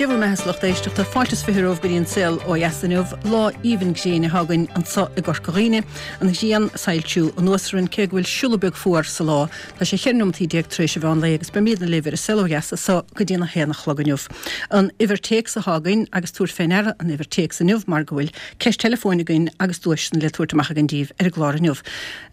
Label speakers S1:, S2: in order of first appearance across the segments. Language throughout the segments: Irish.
S1: Dia bhur mbeatha a lucht éisteachta, fáilte is 20 romhaibh go dtí an saol ó dheas inniu. Lá aoibhinn gréine atá againn anso i gCorca Dhuibhne. An ghrian ag soilsiú anuas orainn cé go bhfuil siúladh beag fuar sa lá. Tá sé 14 neomataí tar éis an mheán lae agus beimídne libh ar an saol ó dheas anso go dtí an 1 a chlog inniu. An uimhir téacs atá againn agus tabhair fé ndeara an uimhir téacs inniu mar go bhfuil ceist teileafóin againn agus duaiseanna le tabhairt amach againn díbh ar an gclár inniu.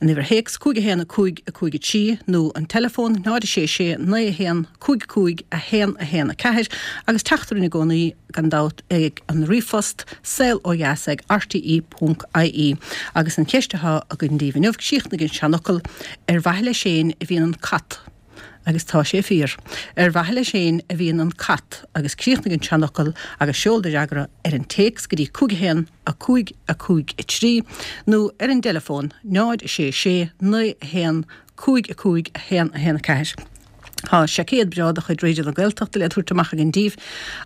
S1: An uimhir théacs 5 1 5 5 3 nó an teileafón 0 6 6 9 1 5 5 1 1 4 agus teacht orainn i gcónaí gan dabht ag an ríomhphost saol ó dheas ag rte ponc ie. Agus an cheist atá againn daoibh inniu, críochnaigh an seanfhocal, Ar mhaithe leis fhéin a bhíonn an cat. Agus tá sé fíor. Ar mhaithe leis fhéin a bhíonn an cat. Agus críochnaigh an seanfhocal agus seol do fhreagra ar an téacs go dtí 5 1 5 5 3 nó ar an dteileafón 0 6 6 9 1 5 5 1 1 4. Tá seaicéad breá de chuid Raidió na Gaeltachta le tabhairt amach againn daoibh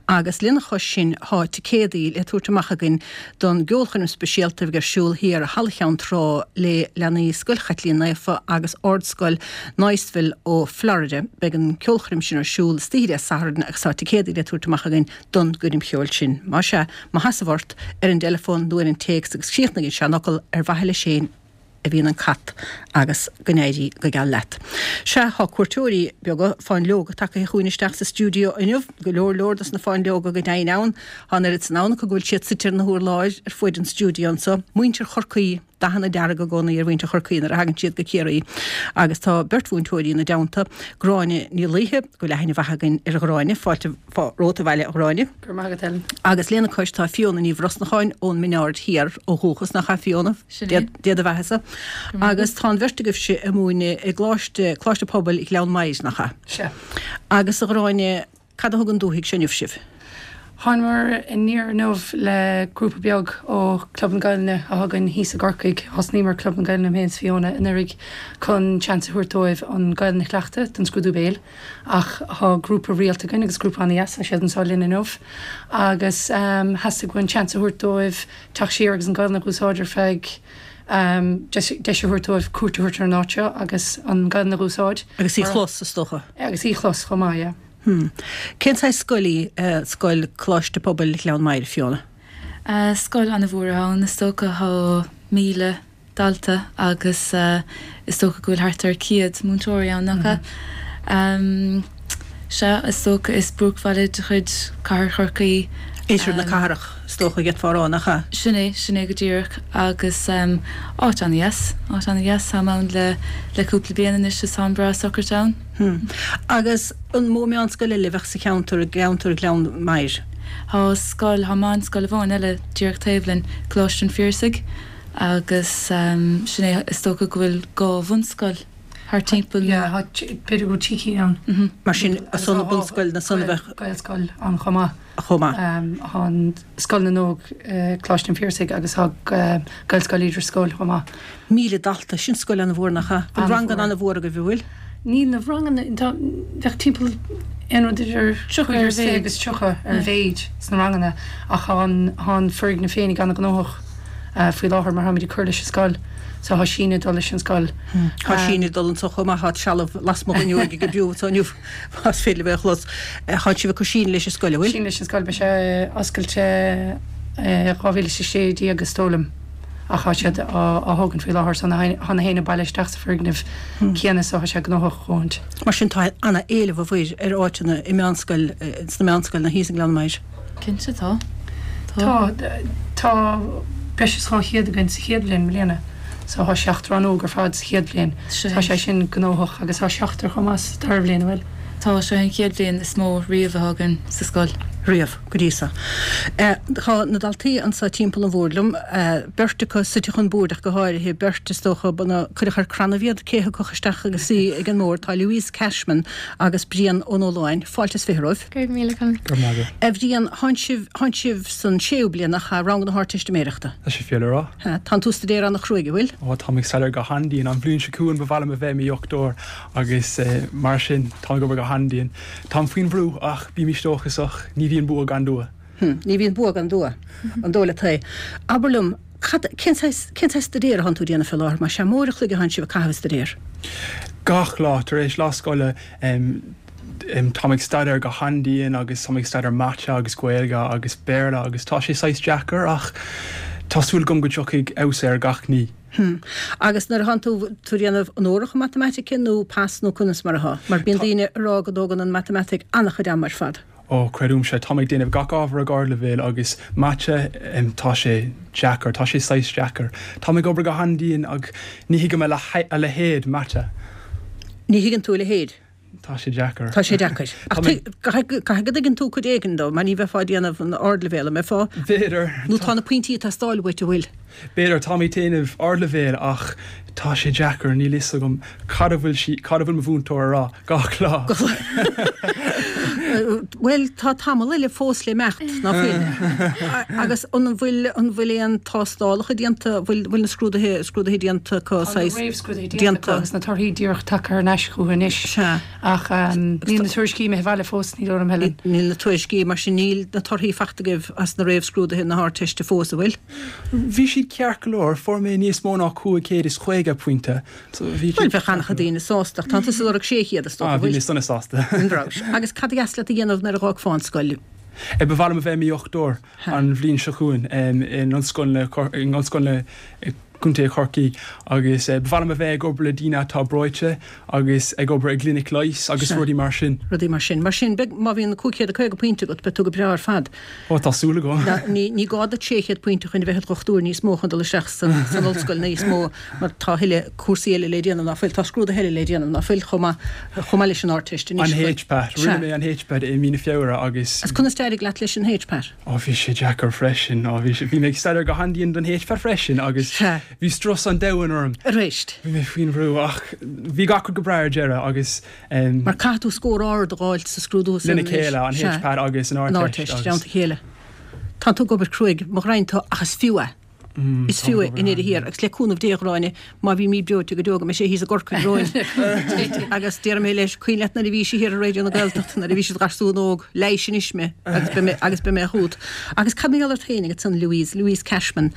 S1: agus lena chois sin tá ticéadaí le tabhairt amach againn don gceolchoirm speisialta a bheidh ar siúl thiar i Halla Cheann Trá le leanaí Scoil Chaitlín Naofa agus Ardscoil Niceville ó Florida. Beidh an ceolchoirm sin ar siúl istoíche Dé Sathairn agus tá ticéadaí le tabhairt amach againn don gcoirm cheoil sin. Más ea, mo sheasamh ort ar an dteileafón nó ar an téacs agus críochnaigh an seanfhocal ar mhaithe leis fhéin a bhíonn an cat agus go n-éirí go geal leat. Sea, thá cuairteoirí beaga, fáinleoga, tagaithe chugainn isteach sa stiúideo inniu, go leor leor dos na fáinleoga go deimhin ann. Thá an oiread san ann acu go bhfuil siad suite ar na hurláir ar fuaid an stiúideo anso. Muintir Chorcaí, dathanna dearga i gcónaí ar mhuintir Chorcaí nuair a thagann siad go Ciarraí. Agus tá beirt mhúinteoirí ina dteannta, Gráinne Ní Laoithe, go bhfuil aithne mhaith againn ar Ghráinne, fáilte romhat abhaile a Ghráinne.
S2: Go raibh maith agat Helen.
S1: Agus lena cois tá Fiona Ní Bhrosnacháin ón Minaird Thiar ó dhúchas, nach ea Fiona?
S2: Sin é.
S1: Dia do bheathasa. Agus tá an bheirt agaibhse ag múineadh i gColáiste, Coláiste Pobail Ghleann Maghair, nach ea?
S2: Sea.
S1: Agus a Ghráinne, cad a thug 'on dúthaigh seo inniu sibh?
S2: Thánamar aniar inniu le grúpa beag ó Club na Gaelainne atá againn thíos i gCorcaigh. Thosnaíomar Club na Gaelainne, mé féin is Fiona, anuraidh chun seans a thabhairt dóibh an Ghaelainn a chleachtadh don scrúdú béil. Ach tá grúpa rialta againn agus grúpa ana-dheas, tá siad anseo linn inniu. Agus theastaigh uainn seans a thabhairt dóibh teacht siar agus an Ghaelainn a dh'úsáid ar feadh deis a thabhairt dóibh cuairt a thabhairt ar an áit seo agus an Ghaelainn a dh'úsáid.
S1: Agus í chlos, is dócha.
S2: Agus í chlos chomh maith, yeah.
S1: Hmm. Cén saghas scoil í scoil Coláiste Pobail Ghleann Maghair, Fiona?
S3: Scoil ana-mhór ann, is dócha. Tá 1,000 dalta agus is dócha go bhfuil thart ar 100 múinteoirí ann, nach ea? Sea, is dócha, is buaicbhaile de chuid Cathair Chorcaí.
S1: Oirthear na cathrach, is dócha, d'fhéadfá a rá, nach ea?
S3: Sin é, sin é go díreach agus áit an-dheas, áit an-dheas. Táim ann le le cúpla bliain anois is táim breá socraithe ann.
S1: Hmm. Agus an mó meánscoil eile a bheadh sa cheantar, i gceantar Ghleann Maghair?
S3: Tá scoil, tá meánscoil amháin eile díreach taobh linn, Coláiste an Phiarsaigh. Agus sin é, is dócha go bhfuil dhá bhunscoil thart timpeall nó.
S2: Yeah, tá, b'fhéidir go bhfuil trí cinn ann.
S1: Mar sin, ansan na bunscoileanna san a bheadh.
S2: Gaelscoil ann chomh maith.
S1: Chomh maith.
S2: Tá an Scoil na nÓg, Coláiste an Phiarsaigh agus tá Gaelscoil Uí Drisceoil chomh maith.
S1: 1,000 dalta, sin scoil an-mhór nach ea? Bhfuil ranganna an-mhór agaibh, an bhfuil?
S2: Níl na ranganna, tá, bheadh timpeall aon rud idir 25 agus 30 ar a mhéid sna ranganna ach tá an, tá an foirgneamh féinig an-ghnóthach faoi láthair mar táimid ag cur leis an scoil so tá síneadh ag dul leis an scoil.
S1: Tá síneadh ag dul anso chomh maith, tá trealamh lasmuigh den fhuinneoig ag oibriú anso inniu más féidir libh é a chlos. Tá sibh ag cur síneadh leis an scoil, an bhfuil?
S2: Síneadh leis an scoil, beidh sé oscailte 2016 is dóigh liom. ach tá siad á thógaint faoi láthair so tá na héinne bailithe isteach sa foirgneamh céanna so tá sé gnóthach a dhóthaint.
S1: Mar sin tá ana-éileamh a bhfuil ar áiteanna i meánscoil, sna meánscoileanna thíos i nGleann Maghair.
S3: Cinnte tá.
S2: Tá. Tá breis is 200 againn sa chéad bhliain i mbliana so tá seacht rannóg ar fad sa chéad bhliain. Tá sé sin gnóthach agus tá seachtar chomh maith sa dara bhliain, an bhfuil?
S3: Tá, seo é an chéad bhliain is mó riamh atá againn sa scoil.
S1: Riamh. go dtí so. Tá na daltaí anso timpeall an bhoird liom, beirt acu suite chun boird ach go háirithe, beirt is dócha, ba cuireadh ar crannaibh iad, cé thiocfadh isteach agus suí ag an mbord, tá Louise Cashman agus Brian Ó Nualláin. Fáilte is 20 romhaibh.
S4: Go raibh míle
S5: agat. Go raibh maith agat.
S1: A Bhriain, thánn sibh, thánn sibh san séú bliain, nach ea, rang na hArdteistiméireachta?
S5: Tá sé fíor le rá.
S1: Tánn tú ag staidéar ana-chruaidh, an bhfuil?
S5: Ó, táim ag staidéar go han-dian. An bhliain seo chugainn ba mhaith liom a bheith i mo dhochtúir agus mar sin táim ag obair go han-dian. Táim faoin bhrú, ach bímis dóchasach, ní bhíonn bua gan dua.
S1: Hm, ní bhíonn bua gan dua. An dóigh leat é? Abair liom, cad, cén saghas, cén saghas staidéir atánn tú ag déanamh fé láthair? Más ea, mór an chloig atánn sibh ag caitheamh ag staidéar?
S5: Gach lá, tar éis lá scoile, Táim ag staidéar go han-dian agus táim ag staidéar Mata agus Gaeilge agus Béarla agus tá sé saghas deacair ach tá súil agam go dtiocfaidh fheabhas ar gach ní.
S1: Hm. Agus nuair atánn tú, tú ag déanamh onóracha matamaitice nó pas nó conas mar atá? Mar bíonn daoine ag rá go dtógann an matamaitic an-chuid ama ar fad.
S5: Ó, creidimse, táim ag déanamh gach ábhar ag ardleibhéal agus Mata, tá sé deacair, tá sé saghas deacair. Táim ag obair go han-dian ach ní thuigim a leithéid Mata.
S1: Ní thuigeann tú a leithéid?
S5: Tá sé deacair.
S1: Tá sé deacair. Ach caithfidh go dtuigeann tú cuid éigin dó, mar ní bheifeá ag déanamh an ardleibhéal, an mbeifeá?
S5: B'fhéidir.
S1: Nó tá na pointí ag teastáil uait, an bhfuil?
S5: B'fhéidir, táim ag déanamh ardleibhéal ach tá sé deacair, níl fhios agam cad a bhfuil sí, cad a bhfuil mo mhúinteoir a rá gach lá.
S1: Bhuel, tá tamall eile fós le imeacht, ná fuil? Agus an bhfuil, an bhfuil aon tástálacha déanta, bhfuil, bhfuil na scrúduithe, scrúduithe déanta acu,
S2: Tá na
S1: saghas,
S2: réamhscrúduithe déanta acu agus na torthaí díreach tagtha thar n-ais chucu anois.
S1: Sea.
S2: Ach níl na tuairiscí imithe abhaile fós, ní dóigh liom, Helen.
S1: Níl na tuairiscí, mar sin níl na torthaí faighte agaibh as na réamhscrúduithe na hArdteiste fós, an bhfuil?
S5: Bhí siad ceart go leor, fuair mé níos mó ná 550 pointe.
S1: So bhí Bhuel, bheadh an-chuid daoine sásta, ach tá tusa ag lorg 600 is dócha,
S5: Ah, bhí mé sona sásta.
S1: An raibh? Agus cad a dheas leat a dhéanamh nuair a dh'fhágfá an scoil?
S5: Ba mhaith liom a bheith i mo dhochtúir an bhliain seo chugainn in Ollscoil na, in Ollscoil na Contae Chorcaí agus ba mhaith liom a bheith ag obair le daoine atá breoite agus ag obair i gclinic leighis agus rudaí mar sin.
S1: Rudaí mar sin. Mar sin, beidh, má bhíonn 550 pointe agat, beidh tú go breá ar fad.
S5: Ó, tá súil agam.
S1: Ní gá duit 600 pointe chun a bheith i do dhochtúir níos mó chun dul isteach san ollscoil níos mó mar tá a thuilleadh cúrsaí eile le déanamh ná fuil, tá scrúduithe eile le déanamh ná fuil chomh maith, chomh maith leis an Ardteist
S5: anois. An HPAT. Rinne mé an HPAT i mí na Feabhra agus.
S1: Agus conas d'éirigh leat leis an HPAT?
S5: Ó, bhí sé deacair freisin. Ó, bhí sé, bhí mé ag staidéar go han-dian don HPAT freisin agus bhí strus an domhain orm.
S1: Arís.
S5: Bhí mé faoin bhrú ach bhí gach rud go breá ar deireadh agus.
S1: Mar caithfidh tú scór ard a dh'fháilt sa scrúdú
S5: san Lena chéile, an HPAT agus an
S1: Ardteist. An Ardteist, i dteannta a chéile. Tá tú ag obair cruaidh, mo ghraidhin tú, ach is fiú é. Is fiú é i ndeireadh thiar. Agus le cúnamh Dé, a Ghráinne, má bhímid breoite go deo go mbeidh sé thíos i gCorcaigh romhainn. Agus déarfaidh mé leis, cuimhin leat nuair a bhís thiar ar Raidió na Gaeltachta, nuair a bhís i do gharsún óg, leighis anois mé agus beidh mé, agus beidh mé chugat. Agus cad mar gheall ort féin ansan, Louise, Louise Cashman,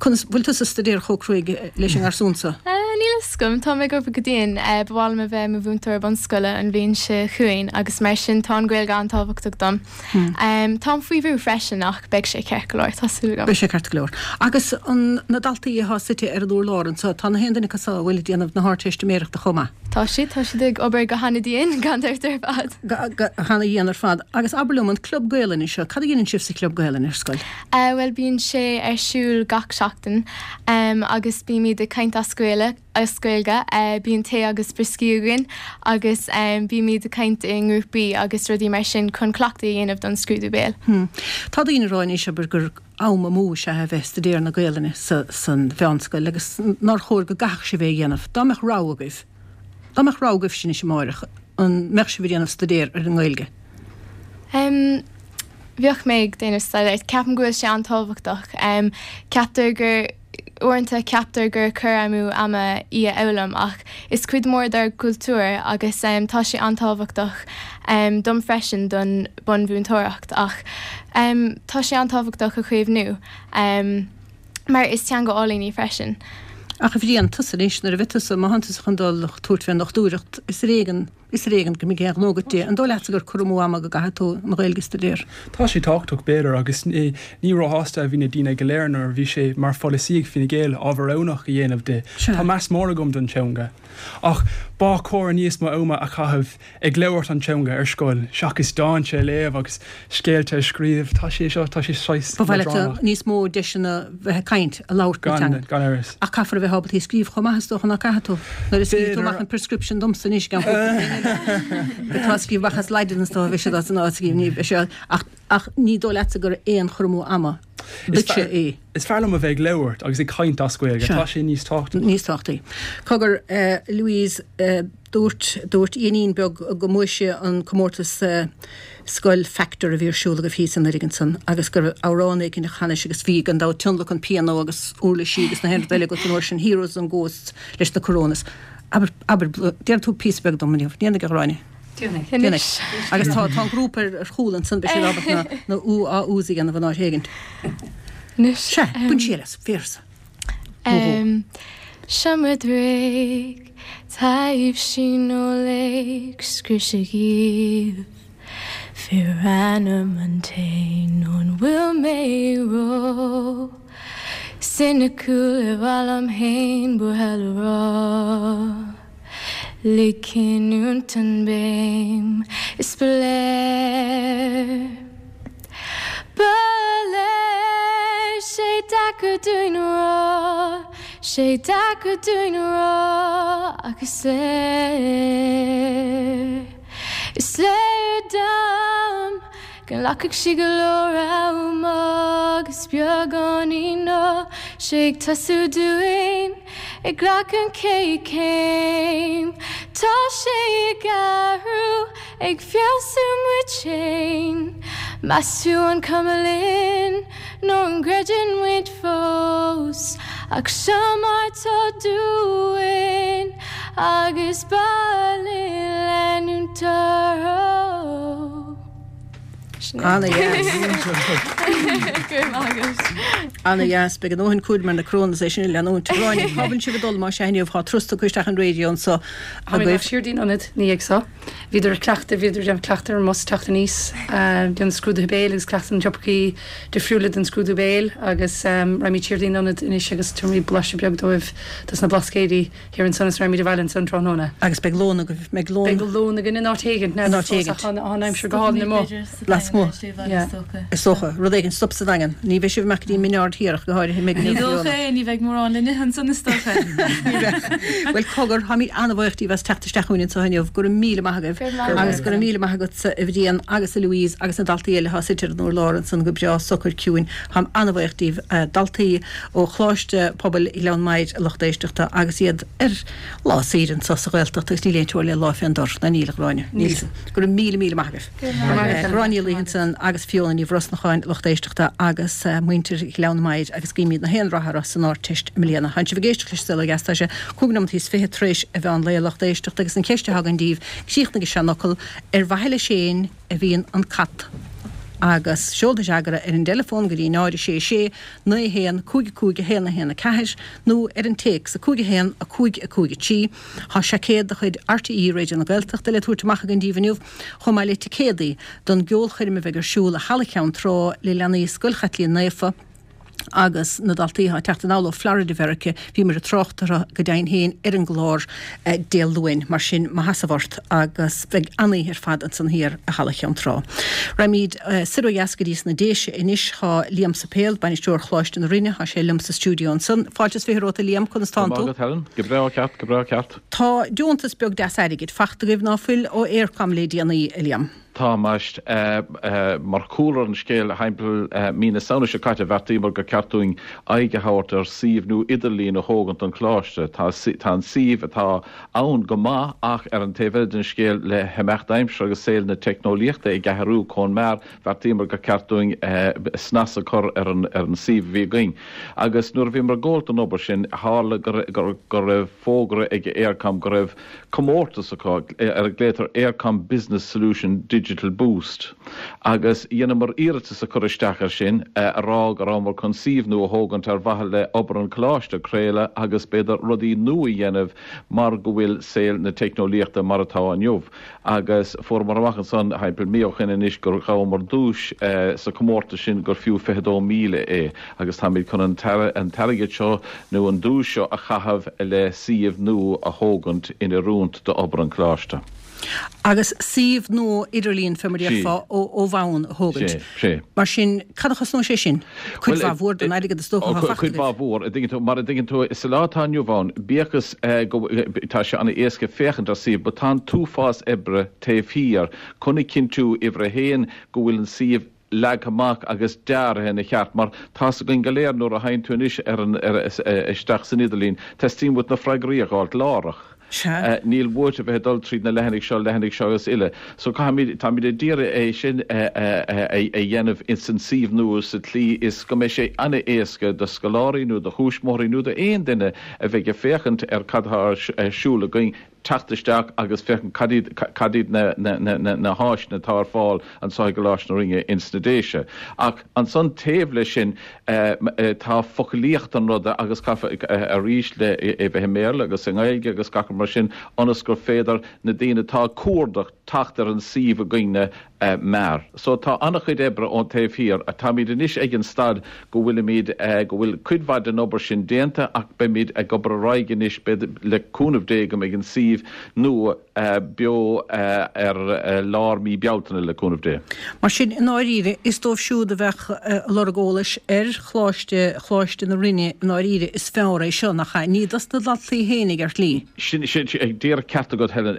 S1: conas, bhfuil tusa ag staidéar chomh cruaidh leis an ngarsún so?
S3: Níl a fhios agam, tá mé ag obair go dian. Ba mhaith liom a bheith i mo mhúinteoir bunscoile an bhliain seo chugainn agus mar sin tá an Ghaeilge an-tábhachtach dom. Táim faoi bhrú freisin ach beidh sé ceart go leor, tá súil agam.
S1: Beidh sé ceart go leor. Agus an na daltaí atá suite ar an urlár anseo, tá na haon duine acu so a bhfuil ag déanamh na hArdteistiméireachta chomh maith?
S3: Tá siad, tá siad ag obair go hana-dhian, gan dabht ar fad.
S1: Go hana-dhian ar fad. Agus abair liom, an Club Gaelainne seo, cad a dhéanann sibh sa Chlub Gaelainne ar scoil?
S3: Bhuel, bíonn sé ar siúl gach seachtain agus bímid ag caint as Gaeilge, as Gaeilge. Bíonn tae agus brioscaí againn agus bímid ag caint i ngrúpaí agus rudaí mar sin chun cleachtadh a dhéanamh don scrúdú béil.
S1: Tá daoine ag rá anois, abair, gur am amú is ea a bheith ag staidéar na Gaelainne san mheánscoil agus nár chóir go gcaithfeadh sibh é a dhéanamh. Dá mbeadh rogha agaibh, dá mbeadh rogha agaibhse anois amáireach, an mbeadh sibh ag déanamh staidéar ar an nGaeilge?
S3: Em, bheadh mé ag déanamh staidéir. Ceapaim go bhfuil sé an-tábhachtach. Em, ceaptar gur, uaireanta ceaptar gur cur amú ama í a fhoghlaim ach is cuid mór dár gcultúr agus em tá sé an-tábhachtach em dom freisin don bunmhúinteoireacht ach em tá sé an-tábhachtach a chaomhnú em mar is teanga álainn í freisin.
S1: Ach a Bhriain, tusa anois, nuair a bheidh tusa, má thánn tusa chun dul tabhairt fén ndochtúireacht, is ar éigean, Is ar éigean go mbeidh aon ghnó agat di. An dóigh leatsa gur cur amú ama go gcaithfidh tú an Ghaeilge a staidéar?
S5: Tá sé tábhachtach, b'fhéidir, agus ní róshásta a bhí na daoine go léir nuair a bhí sé mar pholasaí ag Fine Gael ábhar roghnach a dhéanamh di. Tá meas mór agam don teanga. Ach ba chóir níos mó ama a chaitheamh ag labhairt an teanga ar scoil seachas dánta a léamh agus scéalta a scríobh. Tá sé seo, tá sé saghas
S1: Ba mhaith leat níos mó deiseanna bheith ag caint, a labhairt na
S5: teanga. Gan amhras.
S1: Ach caithfear a bheith ábalta í a scríobh chomh maith is dócha, ná caithfidh tú? Nuair a scríobh tú amach an prescription domsa anois gan cúpla bliain eile, atá ag scríobh amach as Laidin is dócha, bheidh siad as an áit scríobh, ní bheidh sé, ach, ach ní dóigh leatsa gur aon chur amú ama duitse é.
S5: Is fearr liom a bheith ag labhairt agus ag caint as Gaeilge, tá sé níos tábhachtaí.
S1: Níos tábhachtaí. Cogar, Louise, Dúirt, dúirt Iainín beag go mbuaigh sé an comórtas Scoil Factor a bhí ar siúl agaibh thíos anuraidh ansan agus go raibh amhrán éicint a chanais agus bhí gan dabht tionlacan pianó agus uirlisí agus na haon rud eile agat an uair sin, Heroes and Ghosts leis na Coronas. Abair, abair, déanfaidh tú píosa beag dom inniu, déanfaidh a Ghráinne.
S2: Déanfaidh.
S1: Déanfaidh. Agus tá, tá an grúpa ar, ar chúl ansan, beidh siad ábalta na, na ú á ús a dhéanamh in áit éigint.
S3: Anois.
S1: Sea, bain siar as, véarsa. Nó dhó.
S3: Seomra dréig, taibhsí nó léirscrios dhíobh. Fíor ainm an té nó an bhfuil mé ró soiniciúil ar mhaith liom fhéin buartha le rá. Lig cinniúint an béim is ba léir. Ba léir sé deacair dúinn a rá, sé deacair dúinn a rá ach is léir, is léir dom go nglacfaidh sí go leor ama agus beagáinín tá sé ag tosú dúinn ag glacadh an chéad chéim tá sé ag athrú Ag feabhsú muid féin. Meas tú an cuma linn nó an gcreideann muid fós ach seo mar tá dúinn agus ba linn leanúint orthu.
S1: Ana-dheas. Ana-dheas. Beidh a ndóthain cúraim ar na crónna is é sin a leanúint. Gráinne, cá bhfuil sibh ag dul más ea inniu? Tá turas tugtha isteach an raidió anso
S2: agaibh. Táimid siar dtí'n ionad ina dhiaidh so. Bhíodar ag cleachtadh, bhíodar ag déanamh cleachtadh ar an mbus teacht aníos, déanamh scrúduithe béil agus cleachtadh na topaicí difriúla den scrúdú béil agus raghaimid siar dtí'n ionad anois agus tabharfaimid blaiseadh beag dóibh dos na Blascaodaí thiar ansan is raghaimid abhaile ansan tráthnóna.
S1: Agus beidh lón agaibh, mbeidh lón.
S2: Beidh lón againn in áit éigint,
S1: In áit éigint.
S2: Tá an aimsir go hálainn amuigh.
S1: Lasmuigh. Is dócha. Rud éigin, stop sa Daingean. Ní bheidh sibh amach go dtí an Mín Aird Thiar ach go háirithe
S3: mbeidh Ní dócha é, ní bheidh mórán le n-ithe ansan is dócha.
S1: Ní bheidh. Bhuel, cogar, táimid an-bhuíoch díbh as teacht isteach chugainn anseo inniu. Go raibh míle maith agaibh. Agus go raibh míle maith agatsa, a Bhriain agus a Louise agus na daltaí eile atá suite ar an urlár ansan go breá socair ciúin. Táim an-bhuíoch díbh, daltaí ó Choláiste Pobail Ghleann Maghair, a lucht éisteachta, agus iad ar lá saoire anseo sa Ghaeltacht agus níl aon teora le lá fén dtor, ná níl, a Ghráinne? Níl. Go raibh míle míle maith agaibh. Gráinne Ní Laoi ansan agus Fiona Ní Bhrosnacháin, lucht éisteachta agus muintir Ghleann Maghair agus guímid na haon rath orthu san Ardteist i mbliana. Tánn sibh ag éisteacht leis an Saol Ó Dheas, tá sé cúig nóimeataí is fiche tar éis a mheán lae, lucht éisteachta, agus an cheist atá againn díbh, críochnaigh an seanfhocal, ar mhaithe leis féin a bhíonn an cat? Agus seol do fhreagra ar an dteileafón go dtí 0 6 6 9 1 5 5 1 1 4 nó ar an téacs 5 1 5 5 3. Tá seaicéad de chuid RTÉ Raidió na Gaeltachta le tabhairt amach againn díbh inniu, chomh maith le ticéadaí don gceolchoirm a bheidh ar siúl i Halla Cheann Trá le leanaí Scoil Chaitlín Naofa agus na daltaí atá ag teacht anall ó Florida Mheirice. Bhíomar ag trácht orthu go deimhin féin ar an gclár Dé Luain, mar sin maith sheasamh ort agus beidh an-oíche ar fad ansan thiar i Halla Cheann Trá. Raghaimid soir ó dheas go dtí sna Déise anois. Tá Liam Suipéil, Bainisteoir Choláiste na Rinne, tá sé liom sa stiúideo ansan. Fáilte is 20 romhat a Liam, conas tánn tú?
S4: Go maith agat Helen, go breá ceart, go breá ceart.
S1: Tá deontas beag deas airgid fachta agaibh ná fuil ó Eircom le déanaí, a Liam?
S4: Tá, ambaist. Mar chúlra an scéil, thimpeall mí na Samhna seo caite, bheartaíomar gur ceart dúinn aghaidh a thabhairt ar suíomh nua idirlín a thógaint don Choláiste. Tá an suíomh atá ann go maith ach ar an taobh eile den scéal, le himeacht aimsire agus saol na teicneolaíochta ag athrú chomh mear, bheartaíomar gur ceart dúinn snas a chur ar an suíomh a bhí againn. Agus nuair a bhíomar ag gabháil don obair sin, tharla go raibh fógra ag Eircom go raibh comórtas acu ar a nglaotar Eircom Business Solution Digital Boost agus dheineamar iarratas a chur isteach air sin a rá go rabhamar chun suíomh nua a thógaint ar mhaithe le obair an choláiste, craoladh agus b'fhéidir rudaí nua a dhéanamh mar go bhfuil saol na teicneolaíochta mar atá inniu. Agus fuaireamar amach ansan thimpeall mí ó shoin anois gur ghabhamar duais sa chomórtas sin gur fiú 22,000 é agus táimid chun an t-airgead seo nó an duais seo a chaitheamh le suíomh nua a thógaint in oiriúint d'obair an Choláiste.
S1: Agus suíomh nua idirlíon, fé mar a déarfá, ó bhonn a thógaint.
S4: Sé, sé.
S1: Mar sin, cad a chosnóidh sé sin? Cuid mhaith mhór den airgead is dócha atá fachta
S4: Cuid mhaith mhór, a dtuigeann tú, mar a dtuigeann tú, sa lá atá inniu ann, bíodh is go, tá sé an-éasca féachaint ar suíomh, but tá an t-uafás oibre taobh thiar chun a chinntiú, uimhir a haon, go bhfuil an suíomh leagtha amach agus deartha ina cheart, mar tá's againn go léir nuair a théann tú anois ar an, ar, isteach san idirlíon, teastaíonn uait na freagraí a dh'fháilt láithreach.
S1: Sea.
S4: Níl uait a bheith ag dul tríd na leathanaigh seo, leathanaigh seo agus uile. So caithfimid, táimid ag iarraidh é sin a dhéanamh ins an suíomh nua sa tslí is go mbeidh sé an-éasca do scoláirí nó do thuismitheoirí nó d'aon duine a bheidh ag féachaint ar cad atá ar siúl againn. teacht isteach agus féachaint cad iad, cad iad na, na, na, na, na háiseanna atá ar fáil anseo i gColáiste na Rinne ins na Déise. Ach ansan taobh leis sin tá foclaíocht an ruda agus caithfear arís le é bheith i mBéarla agus i nGaeilge agus gach rud mar sin ionas gur féidir na daoine atá ag cuardach teacht ar an suíomh againne mear. So tá an-chuid oibre ón taobh thiar. Táimid anois ag an staid go bhfuilimid, go bhfuil cuid mhaith den obair sin déanta ach beimid ag obair ar aghaidh anois, beidh, le cúnamh Dé go mbeidh an suíomh nua beo ar lár mí Bealtaine, le cúnamh Dé.
S1: Mar sin, i ndáiríre, is dóibh siúd a bheadh ag lorg eolais ar Choláiste, Choláiste na Rinne, i ndáiríre, is fearr é seo, nach ea? Ní dos na daltaí fhéinig ar shlí.
S4: Sin, sin, díreach ceart agat, Helen.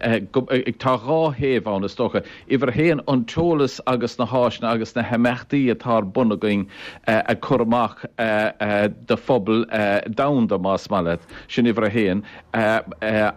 S4: Tá dhá thaobh ann, is dócha. Uimhir a haon, an t-eolas agus na háiseanna agus na himeachtaí atá ar bun againn a chur amach do phobal domhanda, más maith leat. Sin uimhir a haon.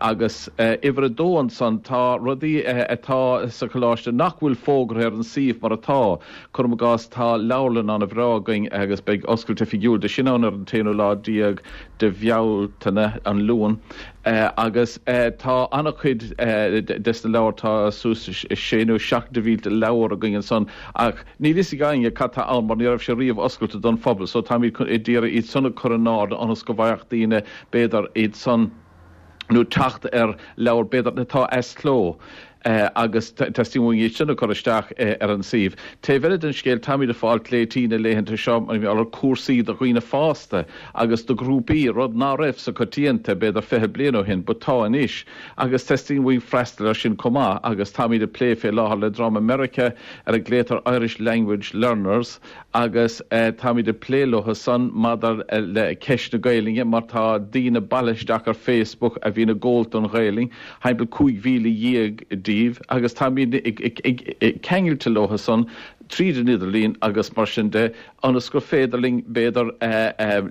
S4: Agus uimhir a dó ansan, tá rudaí atá sa choláiste nach bhfuil fógartha ar an suíomh mar atá. Cuirim i gcás, tá leabharlann an-bhreá againn agus beidh oscailt oifigiúil de sin ann ar an t-aonú lá déag de Bhealtaine, an Luan. Agus tá an-chuid des na leabhair, tá suas sé nó seacht de mhílte leabhar againn ansan ach níl fhios ag éinne cad tá ann mar ní raibh sé riamh oscailte don phobal so táimid ag iarraidh iad san a chur in airde ionas go bhfaigheadh daoine b'fhéidir iad san nó teacht ar leabhar b'fhéidir atá as cló agus teastaíonn uainn iad sin a chur isteach ar an suíomh. Taobh eile den scéal, táimid ag fáil glaoití na laethanta seo mar gheall ar cúrsaí do dhaoine fásta agus do ghrúpaí, rud ná raibh sa choitianta b'fhéidir 20 bliain ó shin but tá anois agus teastaíonn uainn freastal ar sin chomh maith agus táimid ag plé fé láthair le dream i Meiriceá ar a glaotar Irish Language Learners agus táimid ag plé leo san maidir le ceist na Gaelainne mar tá daoine bailithe isteach ar Facebook a bhíonn ag gabháil don Ghaelainn, thimpeall 15,000 díobh, agus táimid ceangailte leo san tríd an idirlíon agus mar sin de ionas gur féidir linn b'fhéidir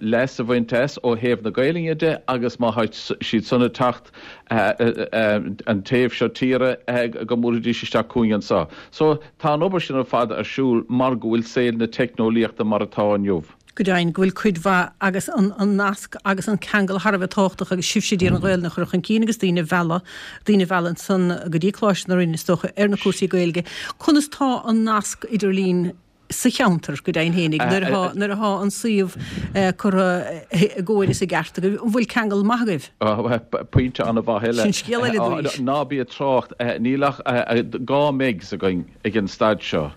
S4: leas a bhaint as ó thaobh na Gaelainne de agus má tá siad san ag teacht an taobh seo tíre go mbuailfidís isteach chugainn anseo. So. Tá an obair sin ar fad ar siúl mar go bhfuil saol na teicneolaíochta mar atá inniu.
S1: Go deimhin, go bhfuil cuid mhaith agus an nasc agus an ceangal thar a bheith tábhachtach agus sibhse ag iarraidh an Ghaelainn a chur chun cinn agus daoine a mhealladh, daoine a mhealladh ansan go dtí Coláiste na Rinne is dócha ar na cúrsaí Gaeilge. Conas tá an nasc idirlín sa cheantar, go deimhin fhéinig, nuair atá, nuair atá an suíomh curtha i gcóir is i gceart agaibh, an bhfuil ceangal maith agaibh?
S4: Pointe an-mhaith eile.
S1: Sin scéal eile arís.
S4: Ná bí ag trácht, níl ach 2 megs againn ag an staid seo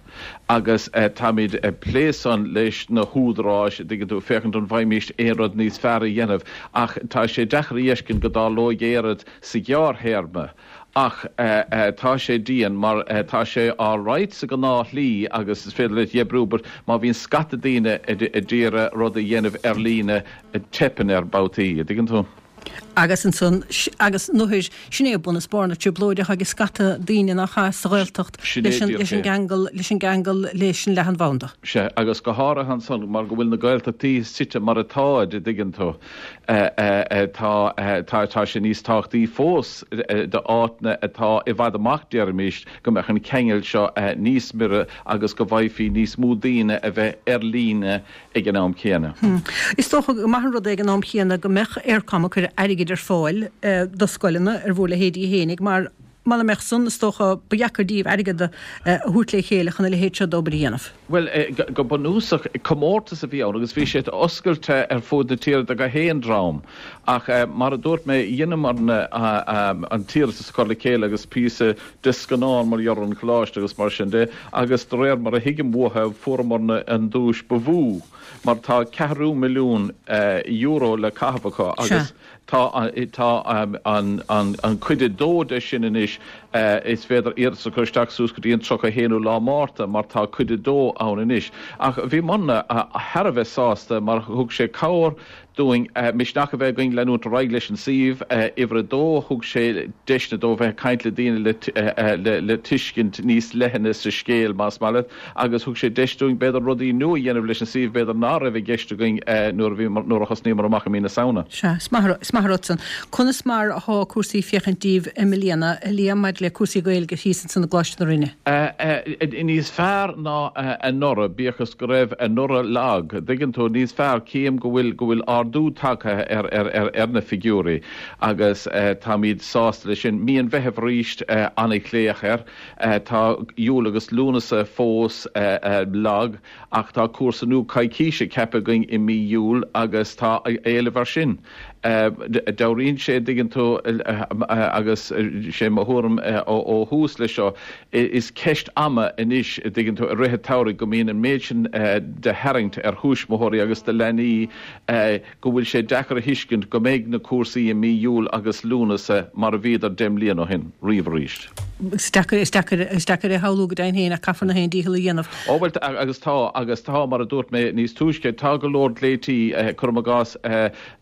S4: agus táimid ag plé san leis na húdaráis, an dtuigeann tú, féachaint an bhfaighimíst aon rud níos fearr a dhéanamh ach tá sé deacair a fheiscint go dtarlóidh aon rud sa ghearrthéarma. Ach tá sé dian mar tá sé alright sa ghnáthshlí agus is féidir leat oibriú but má bhíonn scata daoine ag iarraidh rud a dhéanamh ar líne teipeann air babhtaí, an dtuigeann tú?
S1: Agus ansan, agus nuair, sin é bun is barr na trioblóide atá ag scata daoine nach ea sa Ghaeltacht leis an, leis an gceangal, leis an gceangal leis an leathanbhanda.
S4: Sea, agus go háirithe ansan mar go bhfuil na Gaeltachtaí suite mar atáid, an dtuigeann tú. Tá tá sé níos tábhachtaí fós d'áiteanna atá i bhfad amach, déarfaimis, go mbeadh an ceangal seo níos mire agus go bhfaighfí níos mó daoine a bheith ar líne ag an am céanna.
S1: Is dócha gur maith an rud é ag an am chéanna go mbeadh Eircom ag cur airgid ar fáil do scoileanna ar bhur leithéidí fhéinig mar muna mbeadh san, is dócha, ba dheacair díobh airgead a thabhairt le chéile chun a leithéid seo d'obair a dhéanamh.
S4: Bhuel, go bunúsach, comórtas a bhí ann agus bhí sé oscailte ar fud na tíre do gach aon dream. Ach mar a dúirt mé, dheineamarna an t-iarratas a chur le chéile agus píosa de scannán mar gheall ar an choláiste agus mar sin de agus de réir mar a thuigim uathu, fuaireamarna an duais ba mhó mar tá ceathrú milliún euro le caitheamh acu agus Tá an cuid a dó de sin anois, is féidir iarratas a chur isteach suas go dtí an 31ú lá Márta mar tá cuid a dó ann anois. Ach bhíomarna thar a bheith sásta mar thug sé cabhair dúinn misneach a bheith againn leanúint ar aghaidh leis an suíomh. Uimhir a dó, thug sé deiseanna dó bheith ag caint le daoine le tuiscint níos leithne sa scéal, más maith leat. agus thug sé deis dúinn b'fhéidir rudaí nua a dhéanamh leis an suíomh b'fhéidir ná raibh i gceist againn nuair a bhí, nuair a thosnaíomar amach i mí na Samhna.
S1: Sea, is maith, is maith an rud san. Conas mar athá cúrsaí féachaint díbh i mbliana, a Liam, maidir le cúrsaí Gaeilge thíos ansan i gColáiste na Rinne?
S4: Níos fearr ná anuraidh, bíodh is go raibh anuraidh lag, dtuigeann tú, níos fearr, cím go bhfuil, go bhfuil ardú. ardú tagtha ar na figiúirí agus táimid sásta leis sin. Mí an Mheithimh arís an-ghlaoch air. Tá Iúil agus Lúnasa fós lag ach tá cúrsa nua coicíse ceaptha againn i mí Iúil agus tá éileamh air sin. Dealraíonn sé, an dtuigeann tú, agus sé mo thuairim ó thús leis seo, is ceist ama anois, an dtuigeann tú, i rith an tsamhraidh go mbíonn an méid sin de tharraingt ar thuismitheoirí agus do leanaí go bhfuil sé deacair a thuiscint go mbeidh na cúrsaí i mí Iúil agus Lúnasa mar a bhíodar 10 mbliana ó shin, riamh arís.
S1: Is deacair, is deacair, is deacair é a shamhlú go deimhin féin ach caithfear nach aon dícheall a dhéanamh.
S4: Ó bhuel, agus tá, agus tá, mar a dúirt mé níos túisce, tá go leor glaoití, cuirim i gcás,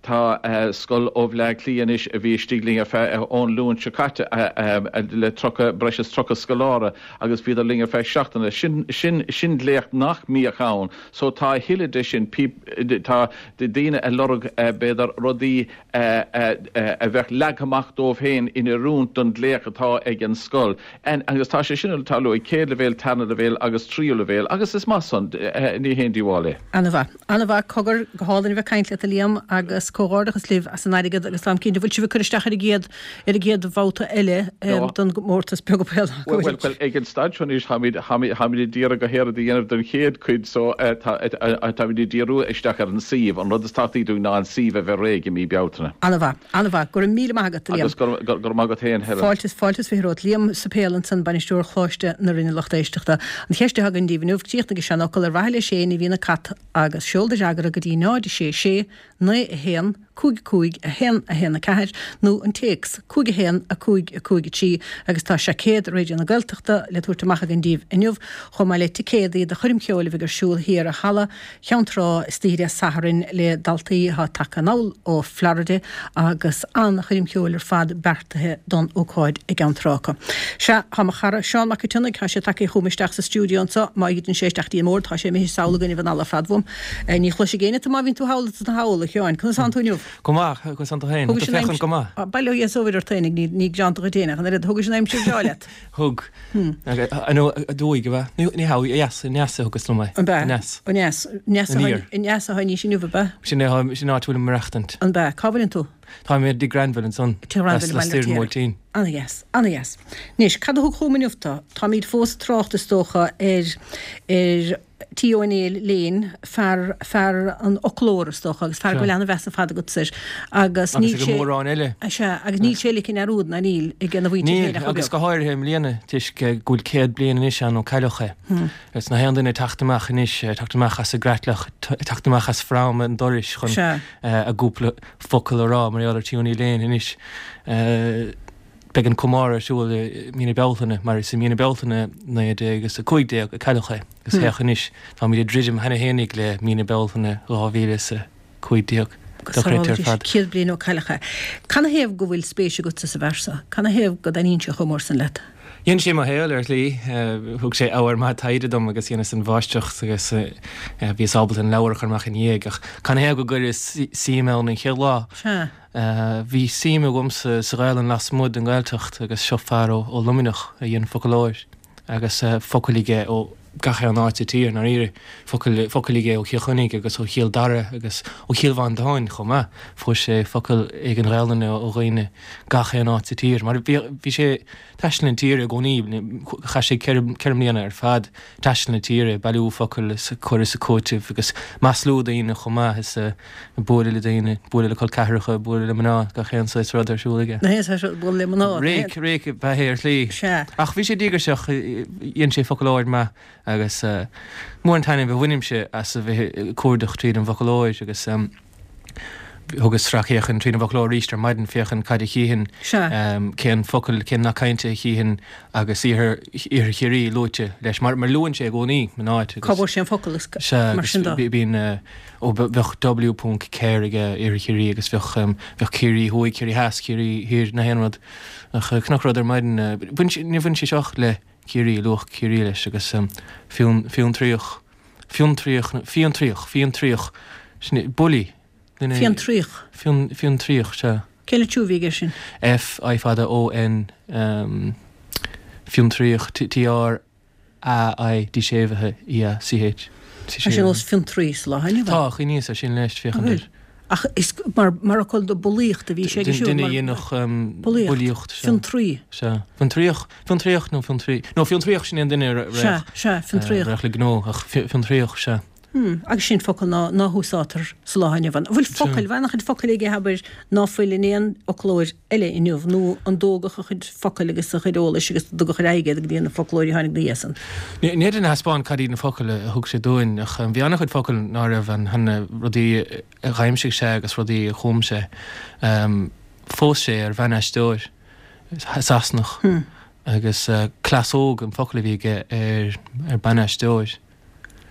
S4: tá scoil ó Bhleá Cliath anois a bhí istigh linn ar feadh, ón Luan seo caite, le 30, breis is 30 scoláire agus bhíodar linn ar feadh seachtaine. Sin, sin, sin glaoch nach mbíodh ann. So tá a thuilleadh de sin, tá daoine ag lorg, b'fhéidir, rudaí, a bheadh leagtha amach dóibh féin in oiriúint don ghlaoch atá ag an scoil. Agus tá sé sin ag tarlú ag céad leibhéal, tarna leibhéal agus tríú leibhéal agus is maith san, ní haon díobháil é.
S1: Ana-mhaith. Ana-mhaith. Cogar, go hálainn a bheith ag caint leat a Liam agus comhghairdeachas libh as an airgead agus táim cinnte, bhfuil sibh ag cur isteach ar an gcéad, ar an gcéad bhabhta eile don gcomórtas Beoga
S4: Béal? Bhuel, bhuel, ag an staid seo anois táimid, táimid, táimid ag iarraidh gach aon rud a dhéanamh don chéad chuid so táimid ag díriú isteach ar an suíomh. An rud is tábhachtaí dúinn ná an suíomh a bheith réidh i mí Bealtaine.
S1: Ana-mhaith, ana-mhaith. Go raibh míle maith agat, a Liam.
S4: Agus go raibh maith agat féin, Helen.
S1: Fáilte is, fáilte is 20 romhat. Liam Suipéil ansan, Bainisteoir Choláiste na Rinne lucht éisteachta. An cheist atá againn daoibh inniu, críochnaigh an seanfhocal ar mhaithe leis féin a bhíonn an cat agus seol do fhreagra go dtí 0 6 6 9 1 5 5 1 1 4 nó an téacs 5 1 5 5 3 agus tá seaicéad Raidió na Gaeltachta le tabhairt amach againn daoibh inniu chomh maith le ticéadaí do choirm cheoil a bheidh ar siúl thiar i Halla Cheann Trá istoíche Dé Sathairn le daltaí atá tagtha anall ó Florida agus an-choirm cheoil ar fad beartaithe don ócáid i gCeann Trá acu. Sea, tá mo chara Seán Mac an tSionnaigh, tá sé tagtha chugam isteach sa stiúideo anseo, má dhruideann sé isteach dtí an mbord, tá sé imithe sall againn anall ar fad uaim. Ní chloisfidh éinne tú má bhíonn tú thall is thall, a Sheáin. Conas tánn tú inniu?
S6: Go maith, conas tánn tú féin? Tá tú féachaint go maith.
S1: Bail ó Dhia is ó Mhuire ort féinig, ní greanta dhuit féin ach an oiread. Thugais an aimsir bhreá leat?
S6: Thug. Aduaidh, ab ea? Ní hea, ó dheas, aneas a thugas liom é.
S1: An ea? Aneas. Aneas. Aniar. Aneas atá anois inniu, ab ea?
S6: Sin é, sin an áit a bhfuilim ag maireachtaint.
S1: An ea? Cá bhfuileann tú?
S6: Táim i dTigh Granville ansan.
S1: Tigh Ghranville i
S6: Baile an Bhuailtín.
S1: Ana-dheas. Ana-dheas. Anois, cad a thug chugam inniu tú? Táimid fós ag trácht, is dócha, ar, ar T. Ó Néill Lane, fear, fear an fhoclóra, is dócha, agus fear go bhfuil an-mheas ar fad agatsa air.
S6: Agus níl sé. Agus ag mórán eile.
S1: Sea, agus níl sé ligthe i ndearúd, ná níl, ag a mhuintir
S6: féin ach chomh beag. Níl, agus go háirithe i mbliana, toisc go bhfuil 100 bliain anois ann ó cailleadh é. Agus nach aon duine ag teacht amach anois, ag teacht amach as a gcreatlach, ag teacht amach as fráma an dorais chun a gcúpla focal a rá mar gheall ar T. Ó Néill Lane anois. Beidh an comóradh ar siúl i mí na Bealtaine, mar is i mí na Bealtaine 1915 a cailleadh é, agus féach anois, táimid ag druidim cheana fhéinig le mí na Bealtaine 2015.
S1: Dochreidte ar fad. 100 bliain ó cailleadh é. Canathaobh go bhfuil spéis agatsa sa bhfear seo? Canathaobh go dtaitníonn sé chomh mór san leat?
S6: Dhein sé mo shaol ar shlí. Thug sé ábhar maith taighde dom agus dheineas an mháistreacht agus bhíos ábalta an leabhar a chur amach ina dhiaidh. Ach canathaobh go gcuireas suim ann an chéad lá?
S1: Sea.
S6: Bhí suim agamsa sa Ghaelainn lasmuigh den Ghaeltacht agus seo fear ó Luimneach a dhein foclóir agus focail aige ó gach aon áit sa tír, i ndáiríre. Focail, focail aige ó Chill Chainnigh agus ó Chill Dara agus ó Chill Mhantáin chomh maith. Fuair sé focail éigin Ghaelainne ó dhaoine gach aon áit sa tír mar bhí, bhí sé, taisteal na tíre i gcónaí. Chaith sé ceithre mbliana ar fad taisteal na tíre, ag bailiú focal is ag cur is ag cúiteamh agus maslú daoine chomh maith is ag bualadh le daoine, bualadh le col ceathracha, bualadh le mná, gach aon saghas rud ar siúl aige.
S1: Gach aon saghas rud, bualadh le mná.
S6: Réic, réic ab ea é ar shlí.
S1: Sea.
S6: Ach bhí sé díograiseach, dhein sé foclóir maith agus mór an taitneamh a bhainimse as a bheith ag cuardach tríd an bhfoclóir agus. Thugas sracfhéachaint tríd an bhfoclóir arís ar maidin féachaint cad a chífinn, cén focal, cén nath cainte a chífinn agus iarthar, iarthar Chiarraí luaite leis, mar luann sé i gcónaí an áit
S1: agus. Cá bhfuair sé an focal
S6: agus mar sin de. Sea, bíonn, ó bheadh W ponc Ker aige, iarthar Chiarraí agus bheadh, bheadh Ciarraí Thuaidh, Ciarraí Theas, Ciarraí Thiar, nach aon rud. Ach chonac rud ar maidin, bhain sé, níor bhain sé seo le Ciarraí, luadh Ciarraí leis agus Fionn, Fiontraíoch. Fiontraíoch, Fiontraíoch, Fiontraíoch, sin é, bully,
S1: duine. Fiontraíoch.
S6: Fion, Fiontraíoch, sea.
S1: Cén litriú a bhí aige sin?
S6: F, I fada, O, N, Fiontraíoch, T, T, R, A, I, D séimhithe, E, A, C, H.
S1: Tá sé nós fiontraí sa lá inniu.
S6: Tá, chuimhníos ar sin leis, féachaint air.
S1: Ach is mar fhocal do bulaíocht a bhí sé ag siúl.
S6: Duine a dhéanfadh
S1: bulaíocht. Fiontraí.
S6: Sea. Fiontraíoch, fiontraíoch nó fiontraí? No, fiontraíoch sin é an duine a raghadh.
S1: Sea, sea, fiontraíoch.
S6: Raghadh le gnó, ach fiontraíoch, sea.
S1: Hmm, agus sin focal ná, ná húsáidtear sa lá inniu ann. An bhfuil focail, bhfuil an-chuid focail aige, abair, ná fuil in aon fhoclóir eile inniu, nó an dtógadh a chuid focal agus a chuid eolais agus an dtugadh ar aghaidh iad go dtí na foclóirí a tháinig ina dhiaidh san?
S6: Ní fhéadfainn a thaispeáint cad iad na focail a thug sé dúinn, ach bhí an-chuid focal ná raibh ann cheana, rudaí a dh'aimsigh sé agus rudaí a chum sé. Phós sé ar bhan-aisteoir Sasanach agus cleasóg an focal a bhí aige ar ban-aisteoir.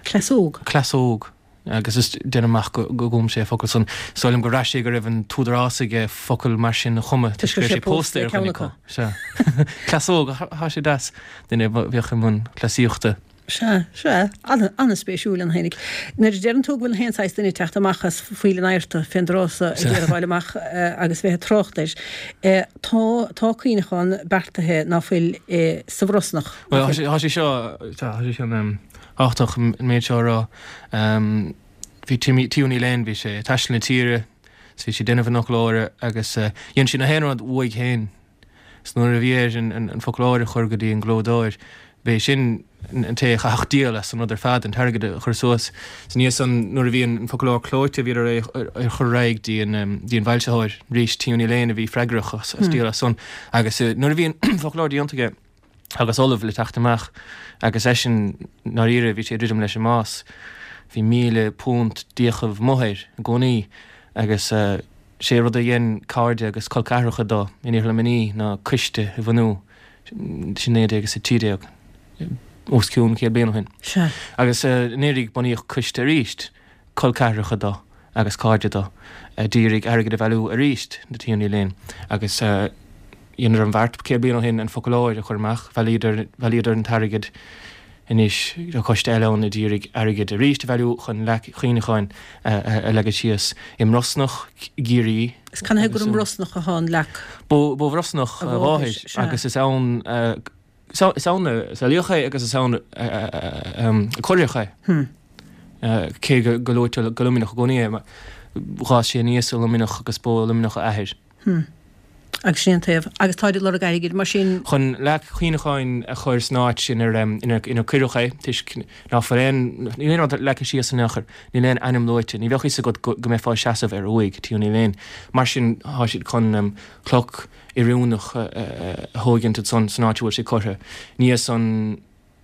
S1: Cleasóg.
S6: Cleasóg. Agus is déanaim amach go gcum sé an focal san. Is dóigh liom gur bhraith sé go raibh an t-údarás aige focal mar sin a chumadh
S1: toisc go raibh sé pósta ar
S6: dhuine acu. Sea. Cleasóg. Thá sé deas. Duine a bheadh i mbun cleasaíochta.
S1: Sea, sea. An-spéisiúil an fhéinig. Nuair a deireann tú go bhfuil na haon saghas duine ag teacht amach as Phoill an Adharta fén dtráth so ag iarraidh fáil amach agus bheith ag trácht air, tá, tá cuimhneachán beartaithe ná fuil sa Bhrosnach.
S6: Bhuel, tá sé seo, tá sé seo tábhachtach an méid seo a rá. Bhí Timmy, T. O'Neill Lane, bhí sé ag taisteal na tíre, is bhí sé ag déanamh an fhoclóra agus dhein sé na haon rud uaidh féin. Is nuair a bhí air an foclóir a chur go dtí an gclódóir, b'é sin an té a chaithfeadh díol as an rud ar fad, an t-airgead a chur suas. Is ina dhiaidh san, nuair a bhí an foclóir clóite, bhíodar é a chur ar aghaidh dtí an bhfoilsitheoir arís, T. O'Neill Lane a bhí freagrach as díol as san. Agus nuair a bhí an foclóir déanta aige, agus ullamh le teacht amach agus eisean ndáiríre bhí sé ag druidim leis an mbás. Bhí £1,000 d'fhiachaibh amuigh air i gcónaí agus sé rud a dhein cairde agus col ceathracha dó in Iarthar Luimnigh ná coiste a bhunú sin 1913, os cionn 100 bliain ó shin.
S1: Sea.
S6: Agus anuraidh bunaíodh coiste arís. col ceathracha dó agus cairde dó a d'iarraidh airgead a bhailiú arís do T. O'Neill Lane agus dheineadar an bheart 100 bliain ó shin an foclóir a chur amach. Bhailíodar bhailíodar an t-airgead anois tá coiste eile ann a d'iarraidh airgead arís a bhailiú chun leac chuimhneacháin a leagan síos i mBrosnach i gCiarraí.
S1: Is canathaobh gur i mBrosnach atá an leac?
S6: Ba ó Bhrosnach a mháthair agus is ann a Is ann a saolaíodh é agus is ann a cuireadh é. Cé go luaitear go Luimneach i gcónaí é, d'fhás sé aníos i Luimneach agus ba ó Luimneach a athair.
S1: Agus sin an taobh. Agus táid ag lorg airgid, mar sin.
S6: Chun leac chuimhneacháin a chur san áit sin inar cuireadh é, toisc ná fuil aon, níl aon rud leagtha síos in aon chor, níl aon ainm luaite, ní bheadh fhios agat go mbeifeá ag seasamh ar uaigh T. O'Neill Lane. Mar sin, tá siad chun cloch oiriúnach a thógaint ansan san áit a bhfuil sé curtha. Ina dhiaidh san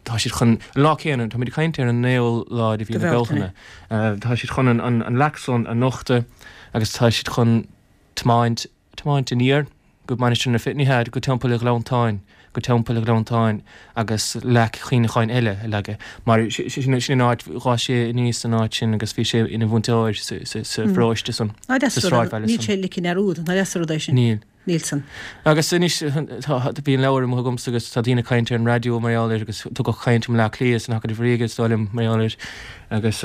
S6: tá siad chun, an lá céanna, táimid ag caint ar an naoú lá de mhí na Bealtaine, tá siad chun an leac san a nochtadh agus tá siad chun tiomáint, tiomáint aniar go Mainistir na Féile, ní hea, go Teampall Ghleanntáin, go Teampall Ghleanntáin agus leac chuimhneacháin eile a leagadh mar sin an áit, d'fhás sé aníos san áit sin agus bhí sé ina mhúinteoir sa pharóiste san, sa
S1: sráidbhaile san. Níl sé ligthe i ndearúd, nach deas an rud é sin?
S6: Níl.
S1: Níl san.
S6: Agus anois tá, bhí an leabhar amuigh agamsa agus tá daoine ag caint ar an raidió mar gheall air agus tugadh caint i mBleá Cliath san Acadamh Ríoga is dóigh liom mar gheall air agus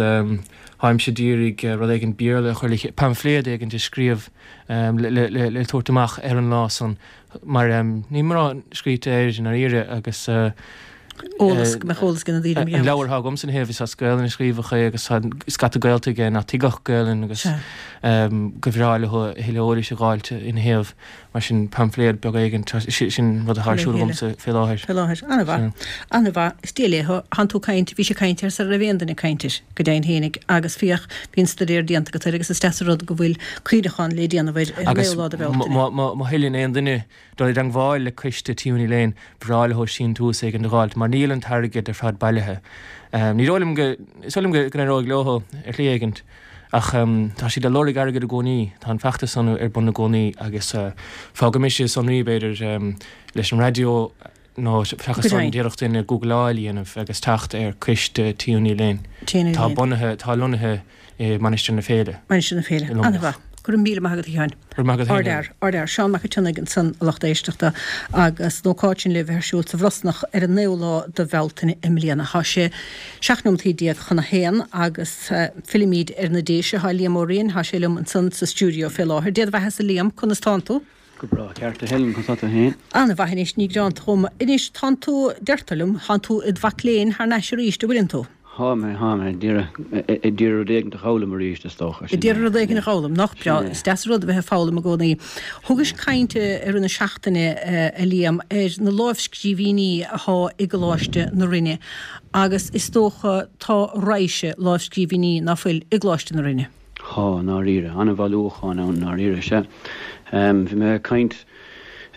S6: táimse d'iarraidh rud éigin Béarla a chur le chéile, paimfléad éigin a scríobh le le tabhairt amach ar an lá san. Mar níl mórán scríte air i ndáiríre agus.
S1: Eolas, go mbeadh eolas ag na daoine mar
S6: gheall. An leabhar atá agamsa ina thaobh is as Gaelainn a scríobhadh é agus tá scata gaolta aige nach dtuigfeadh Gaelainn agus go bhreá leo a thuilleadh eolais a dh'fháilt ina thaobh. Mar sin paimfléad beag éigin, sin rud atá ar siúl agamsa fé láthair.
S1: Fé láthair. An-mhaith. An-mhaith. Is Dia léi. Thánn tú ag caint, bhís ag caint air sara raibh aon duine ag caint air. Go deimhin fhéinig, agus féach, bhí an staidéar déanta agat air agus is deas an rud go bhfuil cuimhneachán le déanamh air ar an
S6: naoú
S1: lá de Bhealtaine.
S6: Agus má thoilíonn aon duine dul i dteangmháil le coiste T. O'Neill Lane, ba bhreá leo síntiús éigin a dh'fháilt, mar níl an t-airgead ar fad bailithe. Ní dóigh liom go, is dóigh liom go n-éireoidh leo ar shlí éigint, ach tá siad ag lorg airgid i gcónaí, tá an feachtas san ar bun i gcónaí agus fágfaidh mise sonraí, b'fhéidir, leis an raidió, nó seachas san d'fhéadfadh duine gúgláil a dhéanamh agus teacht ar Coiste T. O'Neill Lane. Tá bunaithe, tá lonnaithe i Mainistir na Féile.
S1: Mainistir na Féile. An-mhaith. Go raibh míle maith agat a Sheáin.
S6: Go raibh maith agat féin.
S1: Ardfhear, ardfhear. Seán Mac an tSionnaigh ansan a lucht éisteachta agus an ócáid sin le bheith ar siúl sa Bhrosnach ar an naoú lá de Bhealtaine i mbliana. Tá sé 17 nóimeataí chun a haon agus fillimid ar na Déise. Tá Liam Ó Riain, tá sé liom ansan sa stiúideo fé láthair. Dé do bheathasa Liam, conas tánn tú?
S7: Go breá ceart a Helen, conas tá tú féin?
S1: An-mhaith anois, ní gearánta dhom. Anois, tánn tú, deirtear liom, tánn tú id mhac léinn thar n-ais arís, an bhfuileann tú?
S7: Thá mé, thá mé, ag iarraidh, ag iarraidh rud éigin a dh'fhoghlaim arís, is dócha.
S1: Ag iarraidh rud éigin a dh'fhoghlaim, nach breá, is deas an rud a bheith ag foghlaim i gcónaí. Thugais caint i rith na seachtaine, a Liam, ar na lámhscríbhinní athá i gColáiste na Rinne agus is dócha tá raidhse lámhscríbhinní ná fuil i gColáiste na Rinne.
S7: Thá, i ndáiríre. An-bhailiúchán ann, i ndáiríre, sea. Bhí mé ag caint.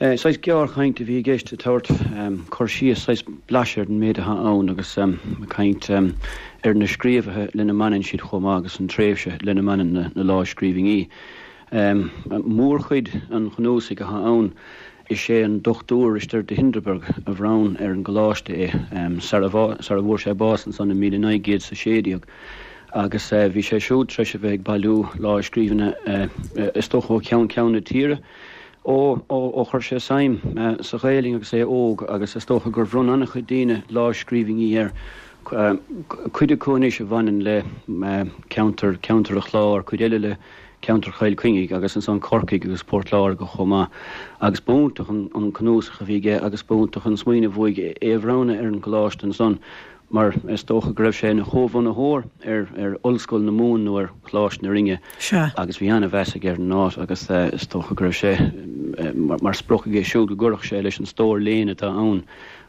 S7: Saghas gearrchaint a bhí i gceist ag tabhairt cur síos, saghas blaiseadh ar an méid atá ann agus ag caint ar na scríobhaithe lena mbaineann siad chomh maith agus an tréimhse lena mbaineann na lámhscríbhinní. Mórchuid an chnuasaigh atá ann, is é an Dr Risteard de Hindeberg a bhronn ar an gcoláiste é sara bhfuair sé bás ansan i 1916 agus bhí sé siúd tar éis a bheith ag bailiú lámhscríbhinne is dócha ó cheann ceann na tíre. Ó, ó, chuir sé suim sa Ghaelainn agus é óg agus is dócha gur bhronn an-chuid daoine lámhscríbhinní air, cuid acu anois a bhaineann le ceantar, ceantar an Chláir, cuid eile le ceantar Chill Chainnigh agus ansan Corcaigh agus Port Láirge chomh maith. Agus b'iontach an cnuasach a bhí aige agus b'iontach an smaoineamh uaidh é a bhronnadh ar an gcoláiste ansan. mar is dócha go raibh sé ina chomhbhunaitheoir ar ar Ollscoil na Mumhan nó ar Choláiste na Rinne agus bhí an-mheas aige ar an áit agus is dócha go raibh sé mar sprioc aige siúd go gcuirfeadh sé leis an stór léinn atá ann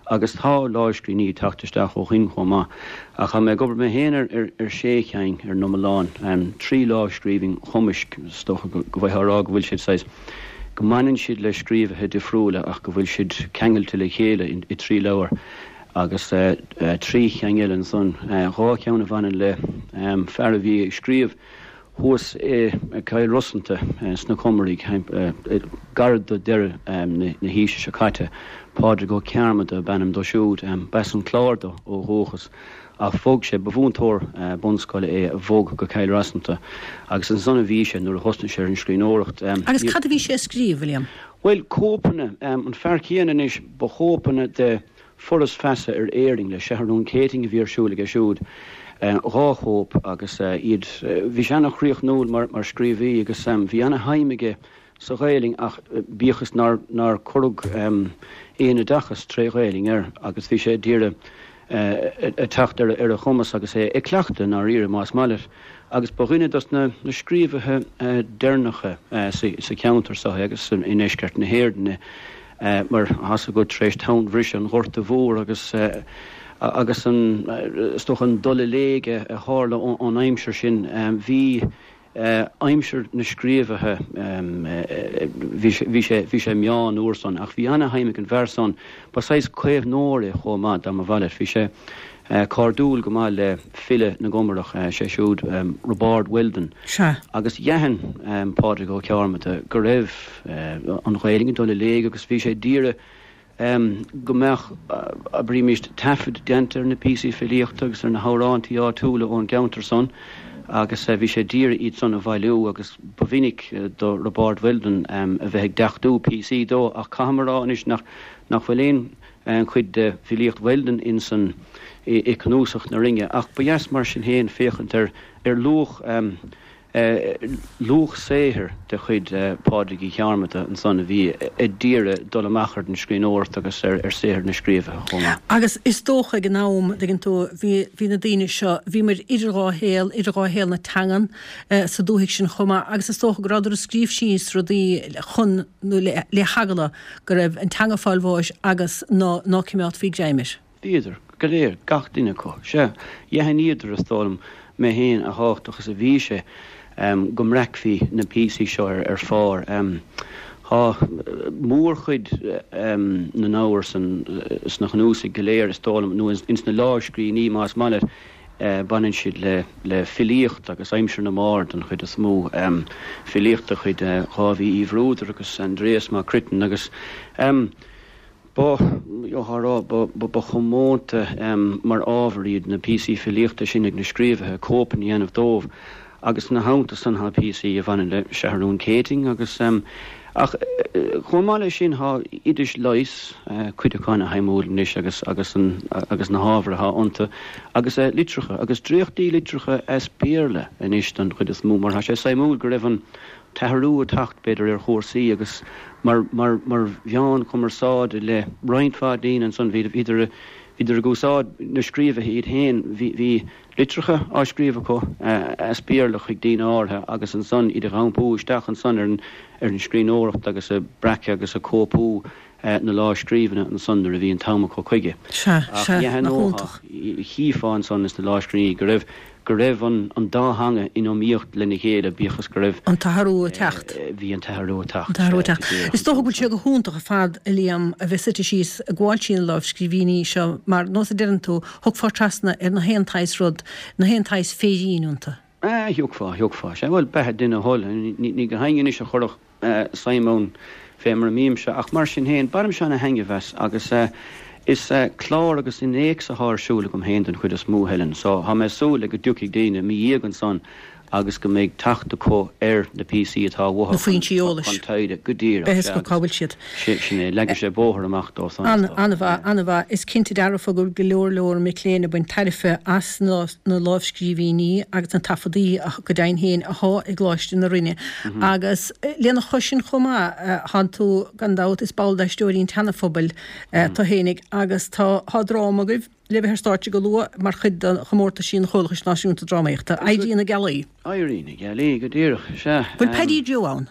S7: agus tá lámhscríbhinní ag teacht isteach ó shoin chomh maith. Ach tá mé ag obair mé féin ar ar sé cheann ar an iomlán, trí lámhscríbhinn chumaisc, is dócha go bhfaighfeá a rá go bhfuil siad saghas, go mbaineann siad le scríobhaithe difriúla ach go bhfuil siad ceangailte le chéile i dtrí leabhar. Agus trí cheann eile ansan, dhá cheann a bhaineann le fear a bhí ag scríobh thuas i gCill Rosanta sna Comaraigh, gairid do deireadh na haoise seo caite. Pádraig Ó Cearmada ab ainm dó siúd. B'as an Clár dó ó dhúchas ach bhog sé, ba mhúinteoir bunscoile é a bhog go Cill Rosanta agus ansan a bhí sé nuair a thosnaigh sé ar an scríbhneoireacht.
S1: Agus cad a bhí sé a scríobh, a Liam?
S7: Bhuel, cóipeanna, an fear céanna anois, ba chóipeanna de Foras Feasa ar Éirinn le Seathrún Céitinn a bhí ar siúl aige siúd, dhá chóip agus iad, bhí sé ana-chríochnúil mar scríobhaí agus bhí ana-shuim aige sa Ghaelainn ach bíodh is nár nár cuireadh aon oideachas tré Ghaelainn air agus bhí sé d'iarraidh a teacht ar a chumas agus é ag cleachtadh i ndáiríre más maith leat agus ba dhuine dos na scríobhaithe deireanacha sa cheantar seo é agus i ndeisceart na hÉireann é. Mar tá's agat tar éis tonnbhriseadh an Ghorta Mhór agus agus an, is dócha, an dul i léig a tharla ón aimsir sin, bhí aimsir na scríobhaithe, bhí sé, bhí sé, bhí sé meán uair san ach bhí ana-shuim ag an bhfear san, ba saghas caomhnóir é chomh maith dá mba mhaith leat. Bhí sé cairdiúil go maith le file na gComarach, sé siúd Roibeárd Weldon.
S1: Sea.
S7: Agus d'aithin Pádraig Ó Cearmada go raibh an Ghaelainn ag dul i léig agus bhí sé d'iarraidh go mbeadh, abraímis, taifead déanta ar na píosaí filíochta agus ar na hamhrántaí áitiúla ón gceantar san agus bhí sé d'iarraidh iad san a bhailiú agus ba mhinic do Roibeárd Weldon a bheith ag deachtú píosaí dó ach caithfidh mé a rá anois nach bhfuil aon chuid de bhfilíocht Weldon insan i gCnuasach na Rinne ach ba dheas mar sin féin féachaint ar ar luach luach saothair de chuid Phádraig Uí Chearmada ansan a bhí ag d'iarraidh dul amach ar an scríbhneoireacht agus ar saothar na scríobhaithe chomh maith.
S1: Agus is dócha ag an am, dtuigeann tú, bhí, bhí na daoine seo, bhíomar idir dhá shaol, idir dhá shaol na teangan sa dúthaigh sin chomh maith agus is dócha go rabhadar ag scríobh síos rudaí chun, nó le, le heagla go raibh an teanga ag fáil bháis agus ná, ná cimeádfaí greim air.
S7: Bhíodar go léir, gach duine acu. Sea, d'aithníodar, is dóigh liom, mé féin, a thábhachtach is a bhí sé go mbreacfaí na píosaí seo ar phár. Tá mórchuid na n-ábhar sna cnuasaigh go léir, is dóigh liom, nó ins na lámhscríbhinní, más maith leat, baineann siad le filíocht agus aimsir na mbard den chuid is mó, filíocht de chuid Dháibhí Uí Bhruadair agus Aindrias Mac Cruitin agus. Ba, gheofá a rá, ba chomónta mar ábhar iad na píosaí filíochta sin ag na scríobhaithe, cóipeanna a dhéanamh dóibh, agus ina theannta san tá píosaí a bhaineann le Seathrún Céitinn agus, ach chomh maith leis sin tá oidis leighis, cuid acu ana-shuimiúil anois agus, agus an, agus na hábhair atá iontu, agus litreacha, agus dréachtaí litreacha as Béarla anois don chuid is mó, mar tá sé suimiúil go raibh an, t-athrú ag teacht, b'fhéidir, ar chúrsaí agus mar, mar, mar mheán cumarsáide le roinnt mhaith daoine ansan, bhíodar. Bhíodar ag úsáid na scríobhaithe iad féin. Bhí litreacha á scríobh acu as Béarla chuig daoine áirithe agus ansan iad a dh'iompú isteach ansan ar an scríbhneoireacht agus a breacadh agus a cóipiú na lámhscríbhinne ansan nuair a bhí an t-am acu chuige.
S1: Sea,
S7: Ach
S1: sea, nach iontach.
S7: Chífeá ansan ins na lámhscríbhinní go raibh go raibh an dá theanga in iomaíocht lena chéile, bíodh is go raibh.
S1: An t-athrú ag teacht.
S7: Bhí an t-athrú ag teacht.
S1: An t-athrú ag teacht. Is dócha go bhfuil sé go hiontach ar fad, a Liam, a bheith suite síos ag gabháil trí na lámhscríbhinní seo mar, nós a deireann tú, thiocfá trasna ar na haon tsaghas rud, na haon tsaghas féirín iontu.
S7: Thiocfá, thiocfá. Sea, bhuel, beatha duine a thoil. Ní go haoinne anois a chuirfeadh suim ann fé mar a mbímse, ach mar sin féin, bainimse ana-thaitneamh as agus is clár agus innéacs athá ar siúl agam féin den chuid is mó, Helen, so thá mé ag súil le go dtiocfaidh daoine i mo dhiaidh ansan agus go mbeidh teacht acu ar na píosaí atá uathu
S1: Na foinsí eolais.
S7: chun taighde, go díreach,
S1: Beidh fhios acu cá bhfuil siad.
S7: Sin é, leagfaidh sé bóthar amach dóibh san, is dócha.
S1: An-mhaith, an-mhaith. Is cinnte dearfa go bhfuil go leor leor mic léinn ag baint tairbhe as na lámhscríbhinní agus na taifeadaí go deimhin féin athá i gColáiste na Rinne. Agus lena chois sin chomh maith, thánn tú, gan dabht, is ball d'Aisteoirí an tSeana-Phobail tú fhéinig agus tá, tá dráma agaibh le bheith ar stáitse go luath mar chuid de chomórtaisí an Chomhlachais Náisiúnta Drámaíochta, Éirí na Gealaí.
S7: Éirí na Gealaí, go díreach, sea.
S1: Bhfuil Paddy Joe ann?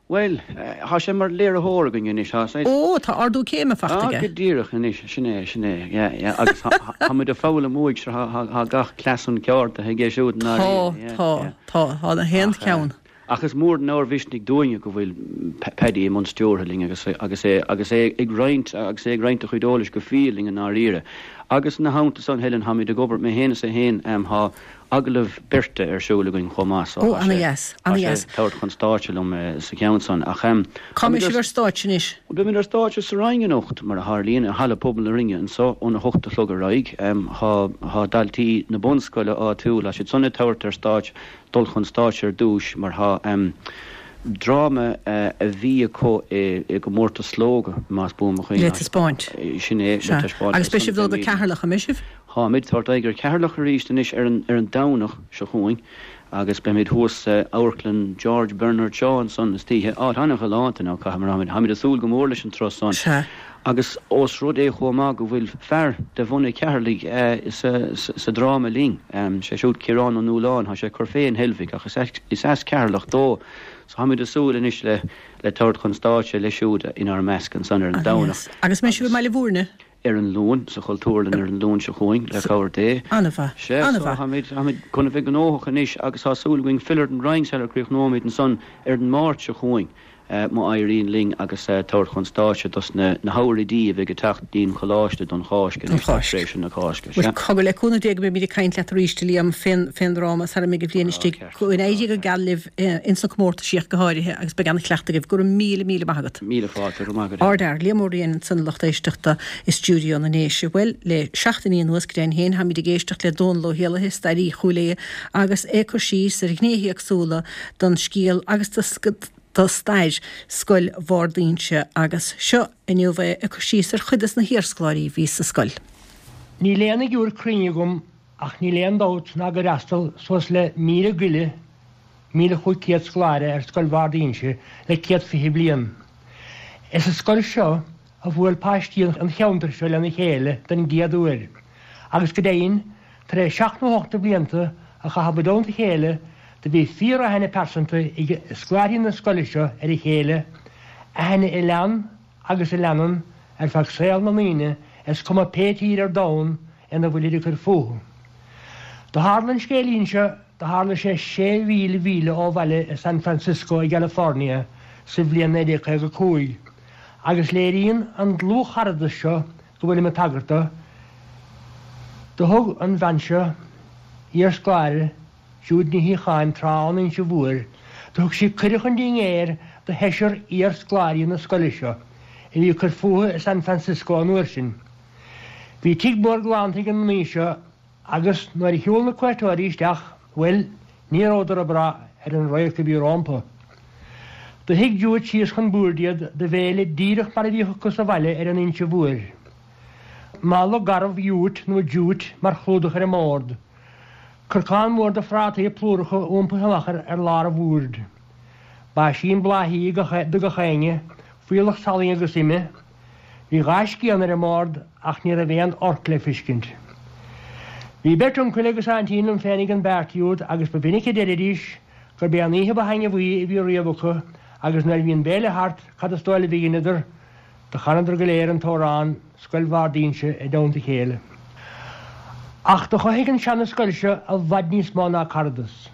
S7: Bhuel, thá sé mar léiritheoir againn anois, thá saghas.
S1: Ó, tá ardú céime fachta
S7: aige. Ah, go díreach anois, sin é, sin é, yeah, yeah, agus thá muid ag foghlaim uaidh, sure, thá gach cleas an ceárta aige siúd i
S1: ndáiríre, yeah, Tá, tá, tá, thá na haon cheann.
S7: Ach is mór an ábhar mhisnigh dúinne go bhfuil Paddy i mbun stiúrtha linn agus agus é agus é ag roinnt agus é ag roinnt a chuid eolais go fial linn i ndáiríre. Agus ina theannta san, Helen, tháimid ag obair, mé féin is é féin, thá agallamh beirte ar siúl againn chomh maith so
S1: Ó, ana-dheas,
S7: tá sé ag tabhairt chun stáitse liom sa cheann san. Ach
S1: Cá mbeidh sibh ar stáitse anois?
S7: Beimid ar stáitse sa Rinn anocht, mar a tharlaíonn, i Halla Pobail na Rinne anso óna hocht a chlog ar aghaidh. Tá daltaí na bunscoile áitiúil, tá siad san ag tabhairt ar stáitse, dul chun stáitse ar dtúis mar tá dráma a bhí acu i gcomórtas Slógadh, más buan mo chuimhne.
S1: Le taispeáint.
S7: Sin é, le taispeáint.
S1: Agus beidh sibh ag dul go Ceatharlach, an mbeidh sibh?
S7: Táimid ag tabhairt aghaidh ar Cheatharlach arís anois ar an ar an Domhnach seo chugainn agus beimid thuas sa Amharclann George Bernard Shaw ansan istoíche. Áit an-ghalánta now caithfidh mé a rá. Táimid ag súil go mór leis an turas san.
S1: Sea.
S7: Agus ós rud é chomh maith go bhfuil fear de bhunadh Cheatharlaigh sa sa dráma linn, sé siúd Ciarán Ó Nualláin, tá sé ag cur fé in Heilbhic ach is is as Ceatharlach dó. So táimid ag súil anois le le tabhairt chun stáitse leis siúd inár measc ansan ar an Domhnach.
S1: Agus an mbeidh sibh i mBaile Bhúirne?
S7: ar an Luan, sa Chultúrlann ar an Luan seo chugainn, le cabhair Dé.
S1: An-mhaith.
S7: Sea, so
S1: An-mhaith.
S7: táimid, táimid chun a bheith gnóthach anois agus tá súil againn filleadh ar an Rinn sar a chríochnóimid ansan ar an Máirt seo chugainn, má éiríonn linn agus tabhairt chun stáitse dos na na hóráidí a bheidh ag teacht dtí'n Choláiste don Cháisc
S1: Don
S7: anois, tar
S1: Cháisc.
S7: éis na Cásca.
S1: Bhuel,
S7: Sea.
S1: cogar, le cúnamh Dé go mbeimid ag caint leat arís, a Liam, fén, fén dráma sara mbeidh an bhliain
S7: Á,
S1: istigh.
S7: ceart.
S1: Go n-éirí go geal libh ins na comórtaisí ach go háirithe agus beidh an-chleachtadh agaibh. Go raibh míle, míle maith agat.
S7: Míle fáilte, go raibh maith agat.
S1: Ardfhear, Liam Ó Riain ansan a lucht éisteachta i stiúideo na nDéise. Bhuel, le seachtainí anuas, go deimhin féin, táimid ag éisteacht le Dónal Ó hÉallaithe, staraí Chúil Aodha, agus é ag cur síos ar ghnéithe éagsúla don scéal agus do stair Scoil Bharr d'Inse agus seo inniu é ag cur síos ar chuid des na hiarscoláirí a bhí sa scoil.
S8: Níl aon fhigiúr cruinn agam Ach níl aon dabht ná gur fhreastal suas le 1,000 goile, 1,500 scoláire ar Scoil Bharr d'Inse le 120 bliain. Is sa scoil seo a bhuail paistí an cheantair seo lena chéile den gcéad uair, agus go deimhin, tar éis seacht nó hocht de bhlianta a chaitheamh i dteannta a chéile, do bhí fíor-aithne pearsanta ag scoláirí na scoile seo ar a chéile, aithne a lean agus a leanann ar feadh saol na ndaoine, is cuma pé tír ar domhan ina bhfuilid ag cur fúthu. Do tharla an scéilín seo, do tharla sé 6,000 mhíle ó bhaile i San Francisco i gCalifornia sa bhliain 1955, agus léiríonn an dlúthcharadas seo go bhfuilim ag tagairt do, do thug an bhean seo, iarscoláire, Jude Ní Shíocháin tráth ón Inse Mhór, do thug sí cuireadh chun dinnéir do sheisear iarscoláirí na scoile seo, a bhí ag cur fúthu i San Francisco an uair sin. Bhí tigh mór galánta ag an mnaoi seo agus nuair a shiúl na cuairteoirí isteach, bhuel, ní rabhadar ag brath ar an radharc a bhí rómpa. Do shuigh Jude síos chun boird iad do bhéile díreach mar a bhíodh acu sa bhaile ar an Inse Mhór. Mála garbh jute nó jute mar chlúdach ar an mbord. Corcán mór de phrátaí plúracha iompaithe amach ar lár an bhoird. Báisín bláthaí do gach éinne, fuíollach salainn agus ime. Bhí dha scian ar an mbord ach ní raibh aon fhorc le fiscint. Bhí beirt uncail agus aintín liom féinig an bpeáirtí úd agus ba mhinic a deiridís gurb é an oíche ba thaitneamhaí a bhí riamh acu agus nuair a bhí an béile thart cad is dóigh libh a dheineadar? Do chanadar go léir an t-amhrán Scoil Bhard Inse i dteannta a chéile. Ach do chothaigh an seana-scoil seo i bhfad níos mó ná caradas.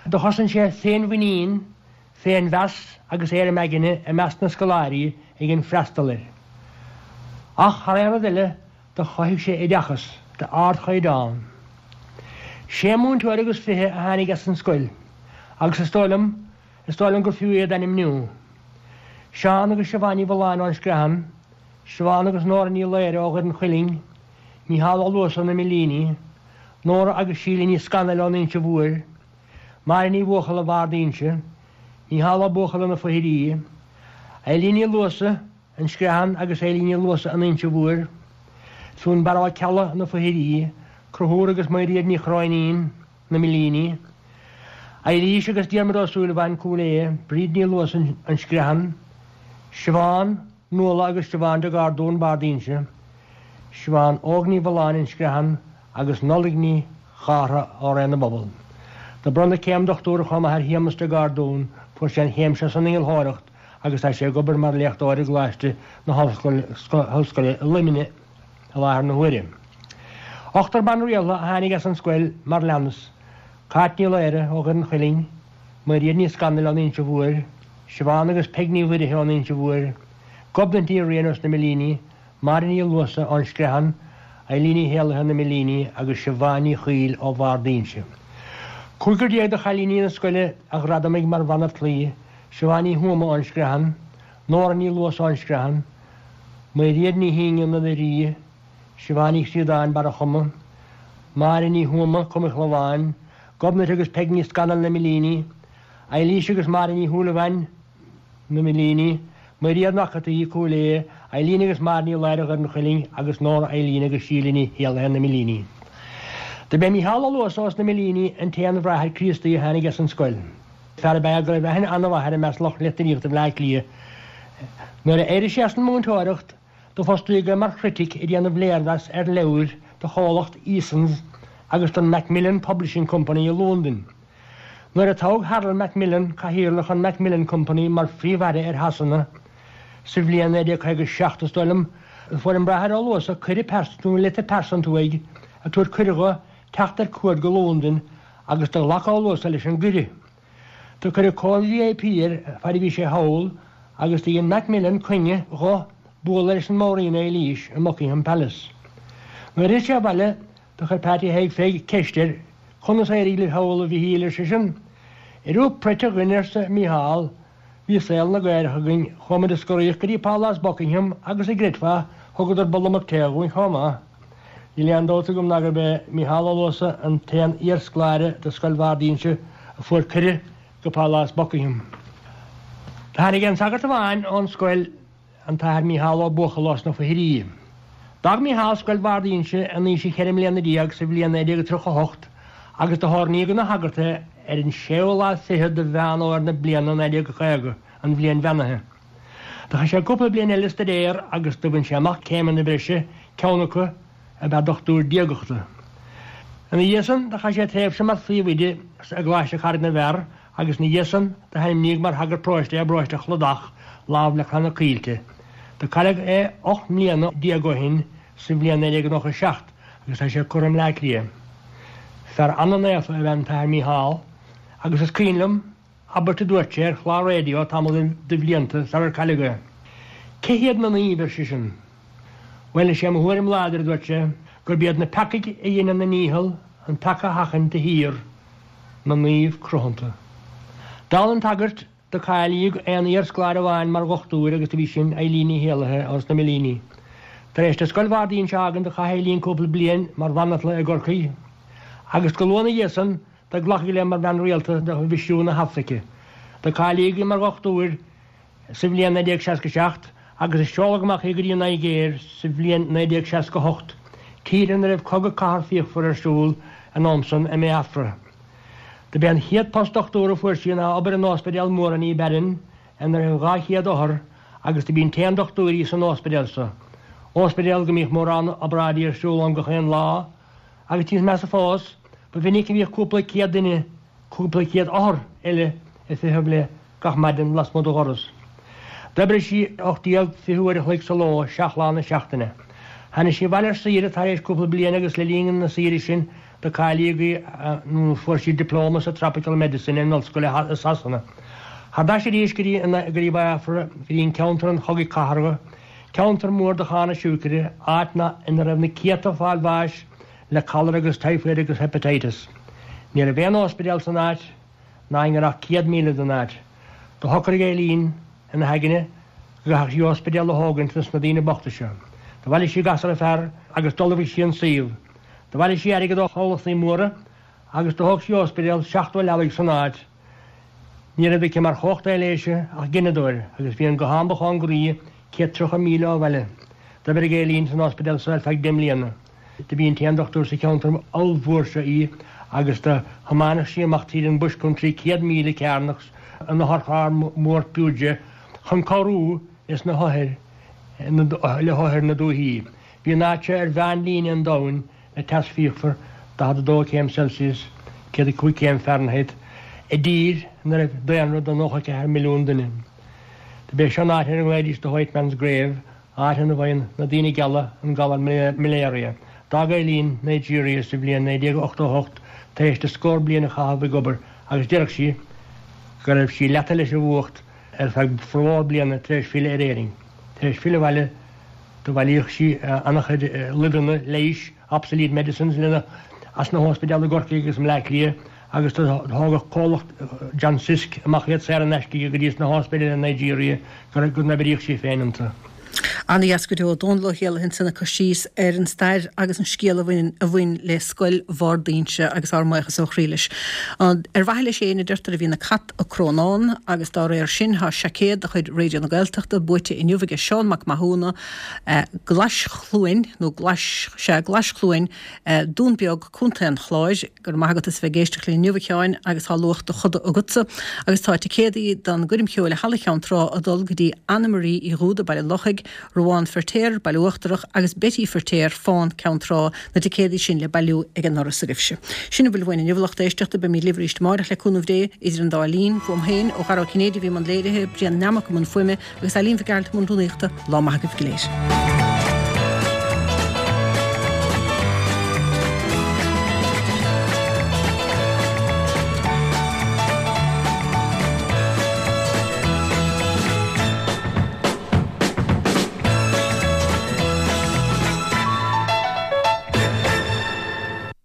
S8: Do chosain sé féinmhuinín, féinmheas agus éirim aigne i measc na scoláirí a dhein freastal air. Ach thar aon rud eile do chothaigh sé oideachas d'ardchaighdeán. Sé múinteoir agus 20 a tháinig as an scoil agus is dóigh liom, Is dóigh liom gur fiú iad ainmniú. Seán agus Siobhán Ní Mhulláin ón Screathan, Siobhán agus Nóra Ní Laoire ó Dhoire an Chuilinn, Mícheál Ó Luasa na Millíní, Nóra agus Síle Ní Scanaill ón Inse Mhóir, Máire Ní Bhuachalla Bhard Inse, Mícheál Ó Buachalla na Foithirí, Eilín Ní Luasa, An Screathan agus Eilín Ní Luasa an Inse Mhóir, Fionnbarra Ó Ceallaigh, Na Foithirí, Conchúr agus Mairéad Ní Chróinín, Na Millíní, Eilís agus Diarmuid Ó Súilleabháin, Cúil Aodha, Bríd Ní Luasa, An Screathan, Siobhán, Nuala agus Siobhán de Gardún, Bard Inse, Siobhán Óg Ní Mhulláin, An Screathan, agus Nollaig Ní Chártha ó Réidh na bPobal. Do bronnadh céim dochtúra chomh maith ar Shéamus de Gardún, fuair sé an chéim seo san innealthóireacht agus tá sé ag obair mar léachtóir i gColáiste na hOllscoile i Luimneach i láthair na huaire. Ochtar ban rialta a tháinig as an scoil mar leanas, Cáit Ní Laoire ó Dhoire an Chuilinn, Mairéad Ní Scanaill ón Inse Mhóir, Siobhán agus Peig Ní Mhuirithe ón Inse Mhóir, Gobnait Ní Riain os na Millíní, Máire Ní Luasa ón Screathan, Eilín Ní Héalaithe na Millíní agus Siobhán Ní Chaoill ó Bhard Inse. Cúigear de chailíní na scoile a gradamaigh mar bhanaltraí, Siobhán Ní Thuama ón Screathan, Nóra Ní Luasa ón Screathan, Mairéad Ní hIngean na Doirí, Siobhán Ní Chríodáin, Barra Choma, Máire Ní Thuama, Com an Chlabháin, Gobnait agus Peig Ní Scanaill na Millíní, Eilís agus Máire Ní Shúilleabháin, na Millíní, Mairéad McAtee, Cúil Aodha, Eileen agus Máire Ní Laoire Dhoire an Chuilinn agus Nóra Eileen agus Síle Ní Héalaithe na Millíní. Do b'é Mícheál Ó Luasa os na Millíní an t-aon bhráthair Críostaí a tháinig as an scoil. Fear ab ea go raibh aithne an-mhaith air i measc lucht litríochta Bhaile Átha Cliath. Nuair a d'éirigh sé as an múinteoireacht, do fostaíodh é mar chritic ag déanamh léirmheas ar leabhair do chomhlacht Easons agus don Macmillan Publishing Company i Londain. Nuair a toghadh Harold Macmillan, cathaoirleach an Macmillan Company, mar Phríomh-Aire ar Shasana sa bhliain 1957, is dóigh liom, fuair an Bráthair Ó Luasa cuireadh pearsanta nó litir pearsanta uaidh ag tabhairt cuireadh dho teacht ar cuaird go Londain agus do ghlac Ó Luasa leis an gcuireadh. Do cuireadh cóir VIP air faid a bhí sé thall agus do dhein Macmillan coinne dho bualadh leis an Mór-Ríon Eilís i mBuckingham Palace. Nuair a fhill sé abhaile Do chuir Peaití Thaidhg Pheig ceist air, Conas a éirigh libh thall, a Mhichíl, ar seisean. Airiú preit a dhuine, arsa Mícheál, bhí saol na gcaorach againn, chuaigh muid ag scoraíocht go dtí Pálás Buckingham agus an gcreidfeá, thugadar bulla tae dhúinn chomh maith. Níl aon dabht agam ná gurb é Mícheál Ó Luasa an t-aon iarscoláire de Scoil Bhard Inse a fuair cuireadh go Pálás Buckingham. Tháinig aon sagart amháin ón scoil an tAthair Mícheál Ó Buachalla as na Foithirí. D'fhág Mícheál Scoil Bhard Inse in aois a cheithre mbliana déag sa bhliain 1938 agus do hoirníodh ina shagart é ar an séú lá fichead de Mheán Fhómhair na bliana 1950, an bhliain bheannaithe. Do chaith sé cúpla bliain eile ag staidéar agus do bhain sé amach céimeanna breise, ceann acu ab ea dochtúir diagachta. Ina dhiaidh san do chaith sé tréimhse mar phríomhoide i gColáiste Charraig na bhFear agus ina dhiaidh san do hainmníodh mar shagart paróiste é i bparóiste Chlodach, lámh le Clanna Caoilte. Do cailleadh é 18 mbliana ó shin sa bhliain 1997 agus tá sé curtha i mBleá Cliath. Fear ana-naofa ab ea an tAthair Mícheál agus is cuimhin liom abairt a dúirt sé ar chlár raidió tamall de bhlianta sarar cailleadh é. Cé hiad na naoimh, ar seisean. Bhuel, is é mo thuairim láidir, a dúirt sé, gurb iad na peacaigh a dheineann a ndícheall an peaca a sheachaint de shíor, na naoimh cruthanta. Dála an tsagairt, do cáilíodh aon iarscoláire amháin mar dhochtúir agus do bhí sin Eileen Ní Héalaithe ós na Millíní. Tar éis di Scoil Bhard Inse a fhágaint do chaith Eileen cúpla bliain mar bhanaltra i gCorcaigh agus go luath ina dhiaidh san do glacadh léi mar bhean rialta do mhisiún na hAfraice. Do cáilíodh í mar dhochtúir sa bhliain 1967 agus a seoladh amach í go dtí an Nigéir sa bhliain 1968, tír ina raibh cogadh cathartha fíochmhar ar siúl an am san i mBiafra. Do b'é an chéad post dochtúra a fuair sí ná obair in ospidéal mór in Ibadan ina raibh 200 othar agus do b'í an t-aon dochtúir í san ospidéal so. Óspidéal go mbíodh mórán obráidí ar siúl ann gach aon lá, agus níos measa fós, ba mhinic a bhíodh cúpla céad duine, cúpla céad othar eile ag feitheamh léi gach maidin lasmuigh dá dhoras. D'oibrigh sí 18, 20 uair a chloig sa ló, seacht lá na seachtaine. Tháinig sí abhaile ar saoire tar éis cúpla bliain agus le linn na saoire sin do cáilíodh í nó fuair sí dioplóma sa Tropical Medicine in ollscoil i Sasana. Thar n-ais arís go dtí go dtí Biafra, go dtí an ceantar an chogaidh cathartha, ceantar mór de chána siúicre, áit ina raibh na céadta ag fáil bháis le cholera agus typhoid agus hepatitis. Ní raibh aon óspidéal san áit. ná i ngar ach 100 míle don áit. Do shocraigh Eileen ina haigne go gcaithfeadh sí óspidéal a thógaint dos na daoine bochta seo. Do bhailigh sí gasra fear agus d'ullmhaigh sí an suíomh. Do bhailigh sí airgead ó chomhlachtaí móra agus do thóg sí óspidéal 70 leabaidh san áit. Ní raibh aici mar chumhacht aibhléise ach gineadóir agus bhí an guthán ba chóngaraí 130 míle ó bhaile. D'oibrigh Eileen san óspidéal seo ar feadh deich mbliana. Do b'í an t-aon dochtúir sa cheantar ollmhór seo í agus do thiomáineadh sí amach tríd an bush country 100 míle cearnach ina hotharcharr mór Peugeot chun cabhrú leis na hothair le hothair na dúichí. Bhí an áit seo ar mheánlíne an domhain le teas fíochmhar 42 céim Celsius, 105 céim Fahrenheit, i dtír ina raibh daonra de 94 milliún duine. Do b'é seo an áit ar a nglaoidís The White Man's Grave áit ina bhfaigheann na daoine geala an galar malaria. D'fhág Eileen Nigeria sa bhliain 1988 tar éis di scór bliain a chaitheamh ag obair agus déarfadh sí go raibh sí leata leis an bhfuacht ar feadh formhór bliana tar éis filleadh ar Éirinn. Tar éis filleadh abhaile do bhailíodh sí an-chuid luibheanna leighis, obsolete medicines, lena as na hóspidéil i gCorcaigh agus i mBleá Cliath agus do thógadh comhlacht John Sisk amach iad saor in aisce go dtí sna hóspidéil i Nigeria go n-oibríodh sí féin iontu.
S1: Ana-dheas go deo. Dónall Ó Héalaithe ansan ag cur síos ar an stair agus an scéal a bhain a bhain le Scoil Bhard Inse agus ár mbuíochas ó chroí leis. Ar mhaithe leis féin a deirtear a bhíonn an cat ag crónán agus dá réir sin tá seaicéad de chuid Raidió na Gaeltachta buaite inniu aige Seán Mac Mathúna, Glaischluain, nó Glais, sea, Glaischluain, Dún Beag, Contae an Chláir. Go raibh maith agat as a bheith ag éisteacht linn inniu, a Sheáin, agus tá luach do choda agatsa. Agus tá ticéadaí don gcoirm cheoil i Halla Cheann Trá ag dul go dtí Anna Marie Uí Dhúda, Baile an Lochaigh, Ruán Feirtéar, Baile Uachtarach, agus Betty Feirtéar, Fán, Ceann Trá, na ticéadaí sin le bailiú ag an ndoras agaibhse. Sin a bhfuil uainn inniu, a lucht éisteachta. Beimid libh arís amáireach le cúnamh Dé, idir an dá linn. Uaim féin, ó Dhara Ó Cinnéide a bhí i mbun léirithe, Brian Nammock i mbun fuaime, agus Eileen Mhic Gearailt i mbun rúnaíochta. Lá maith agaibh go léir.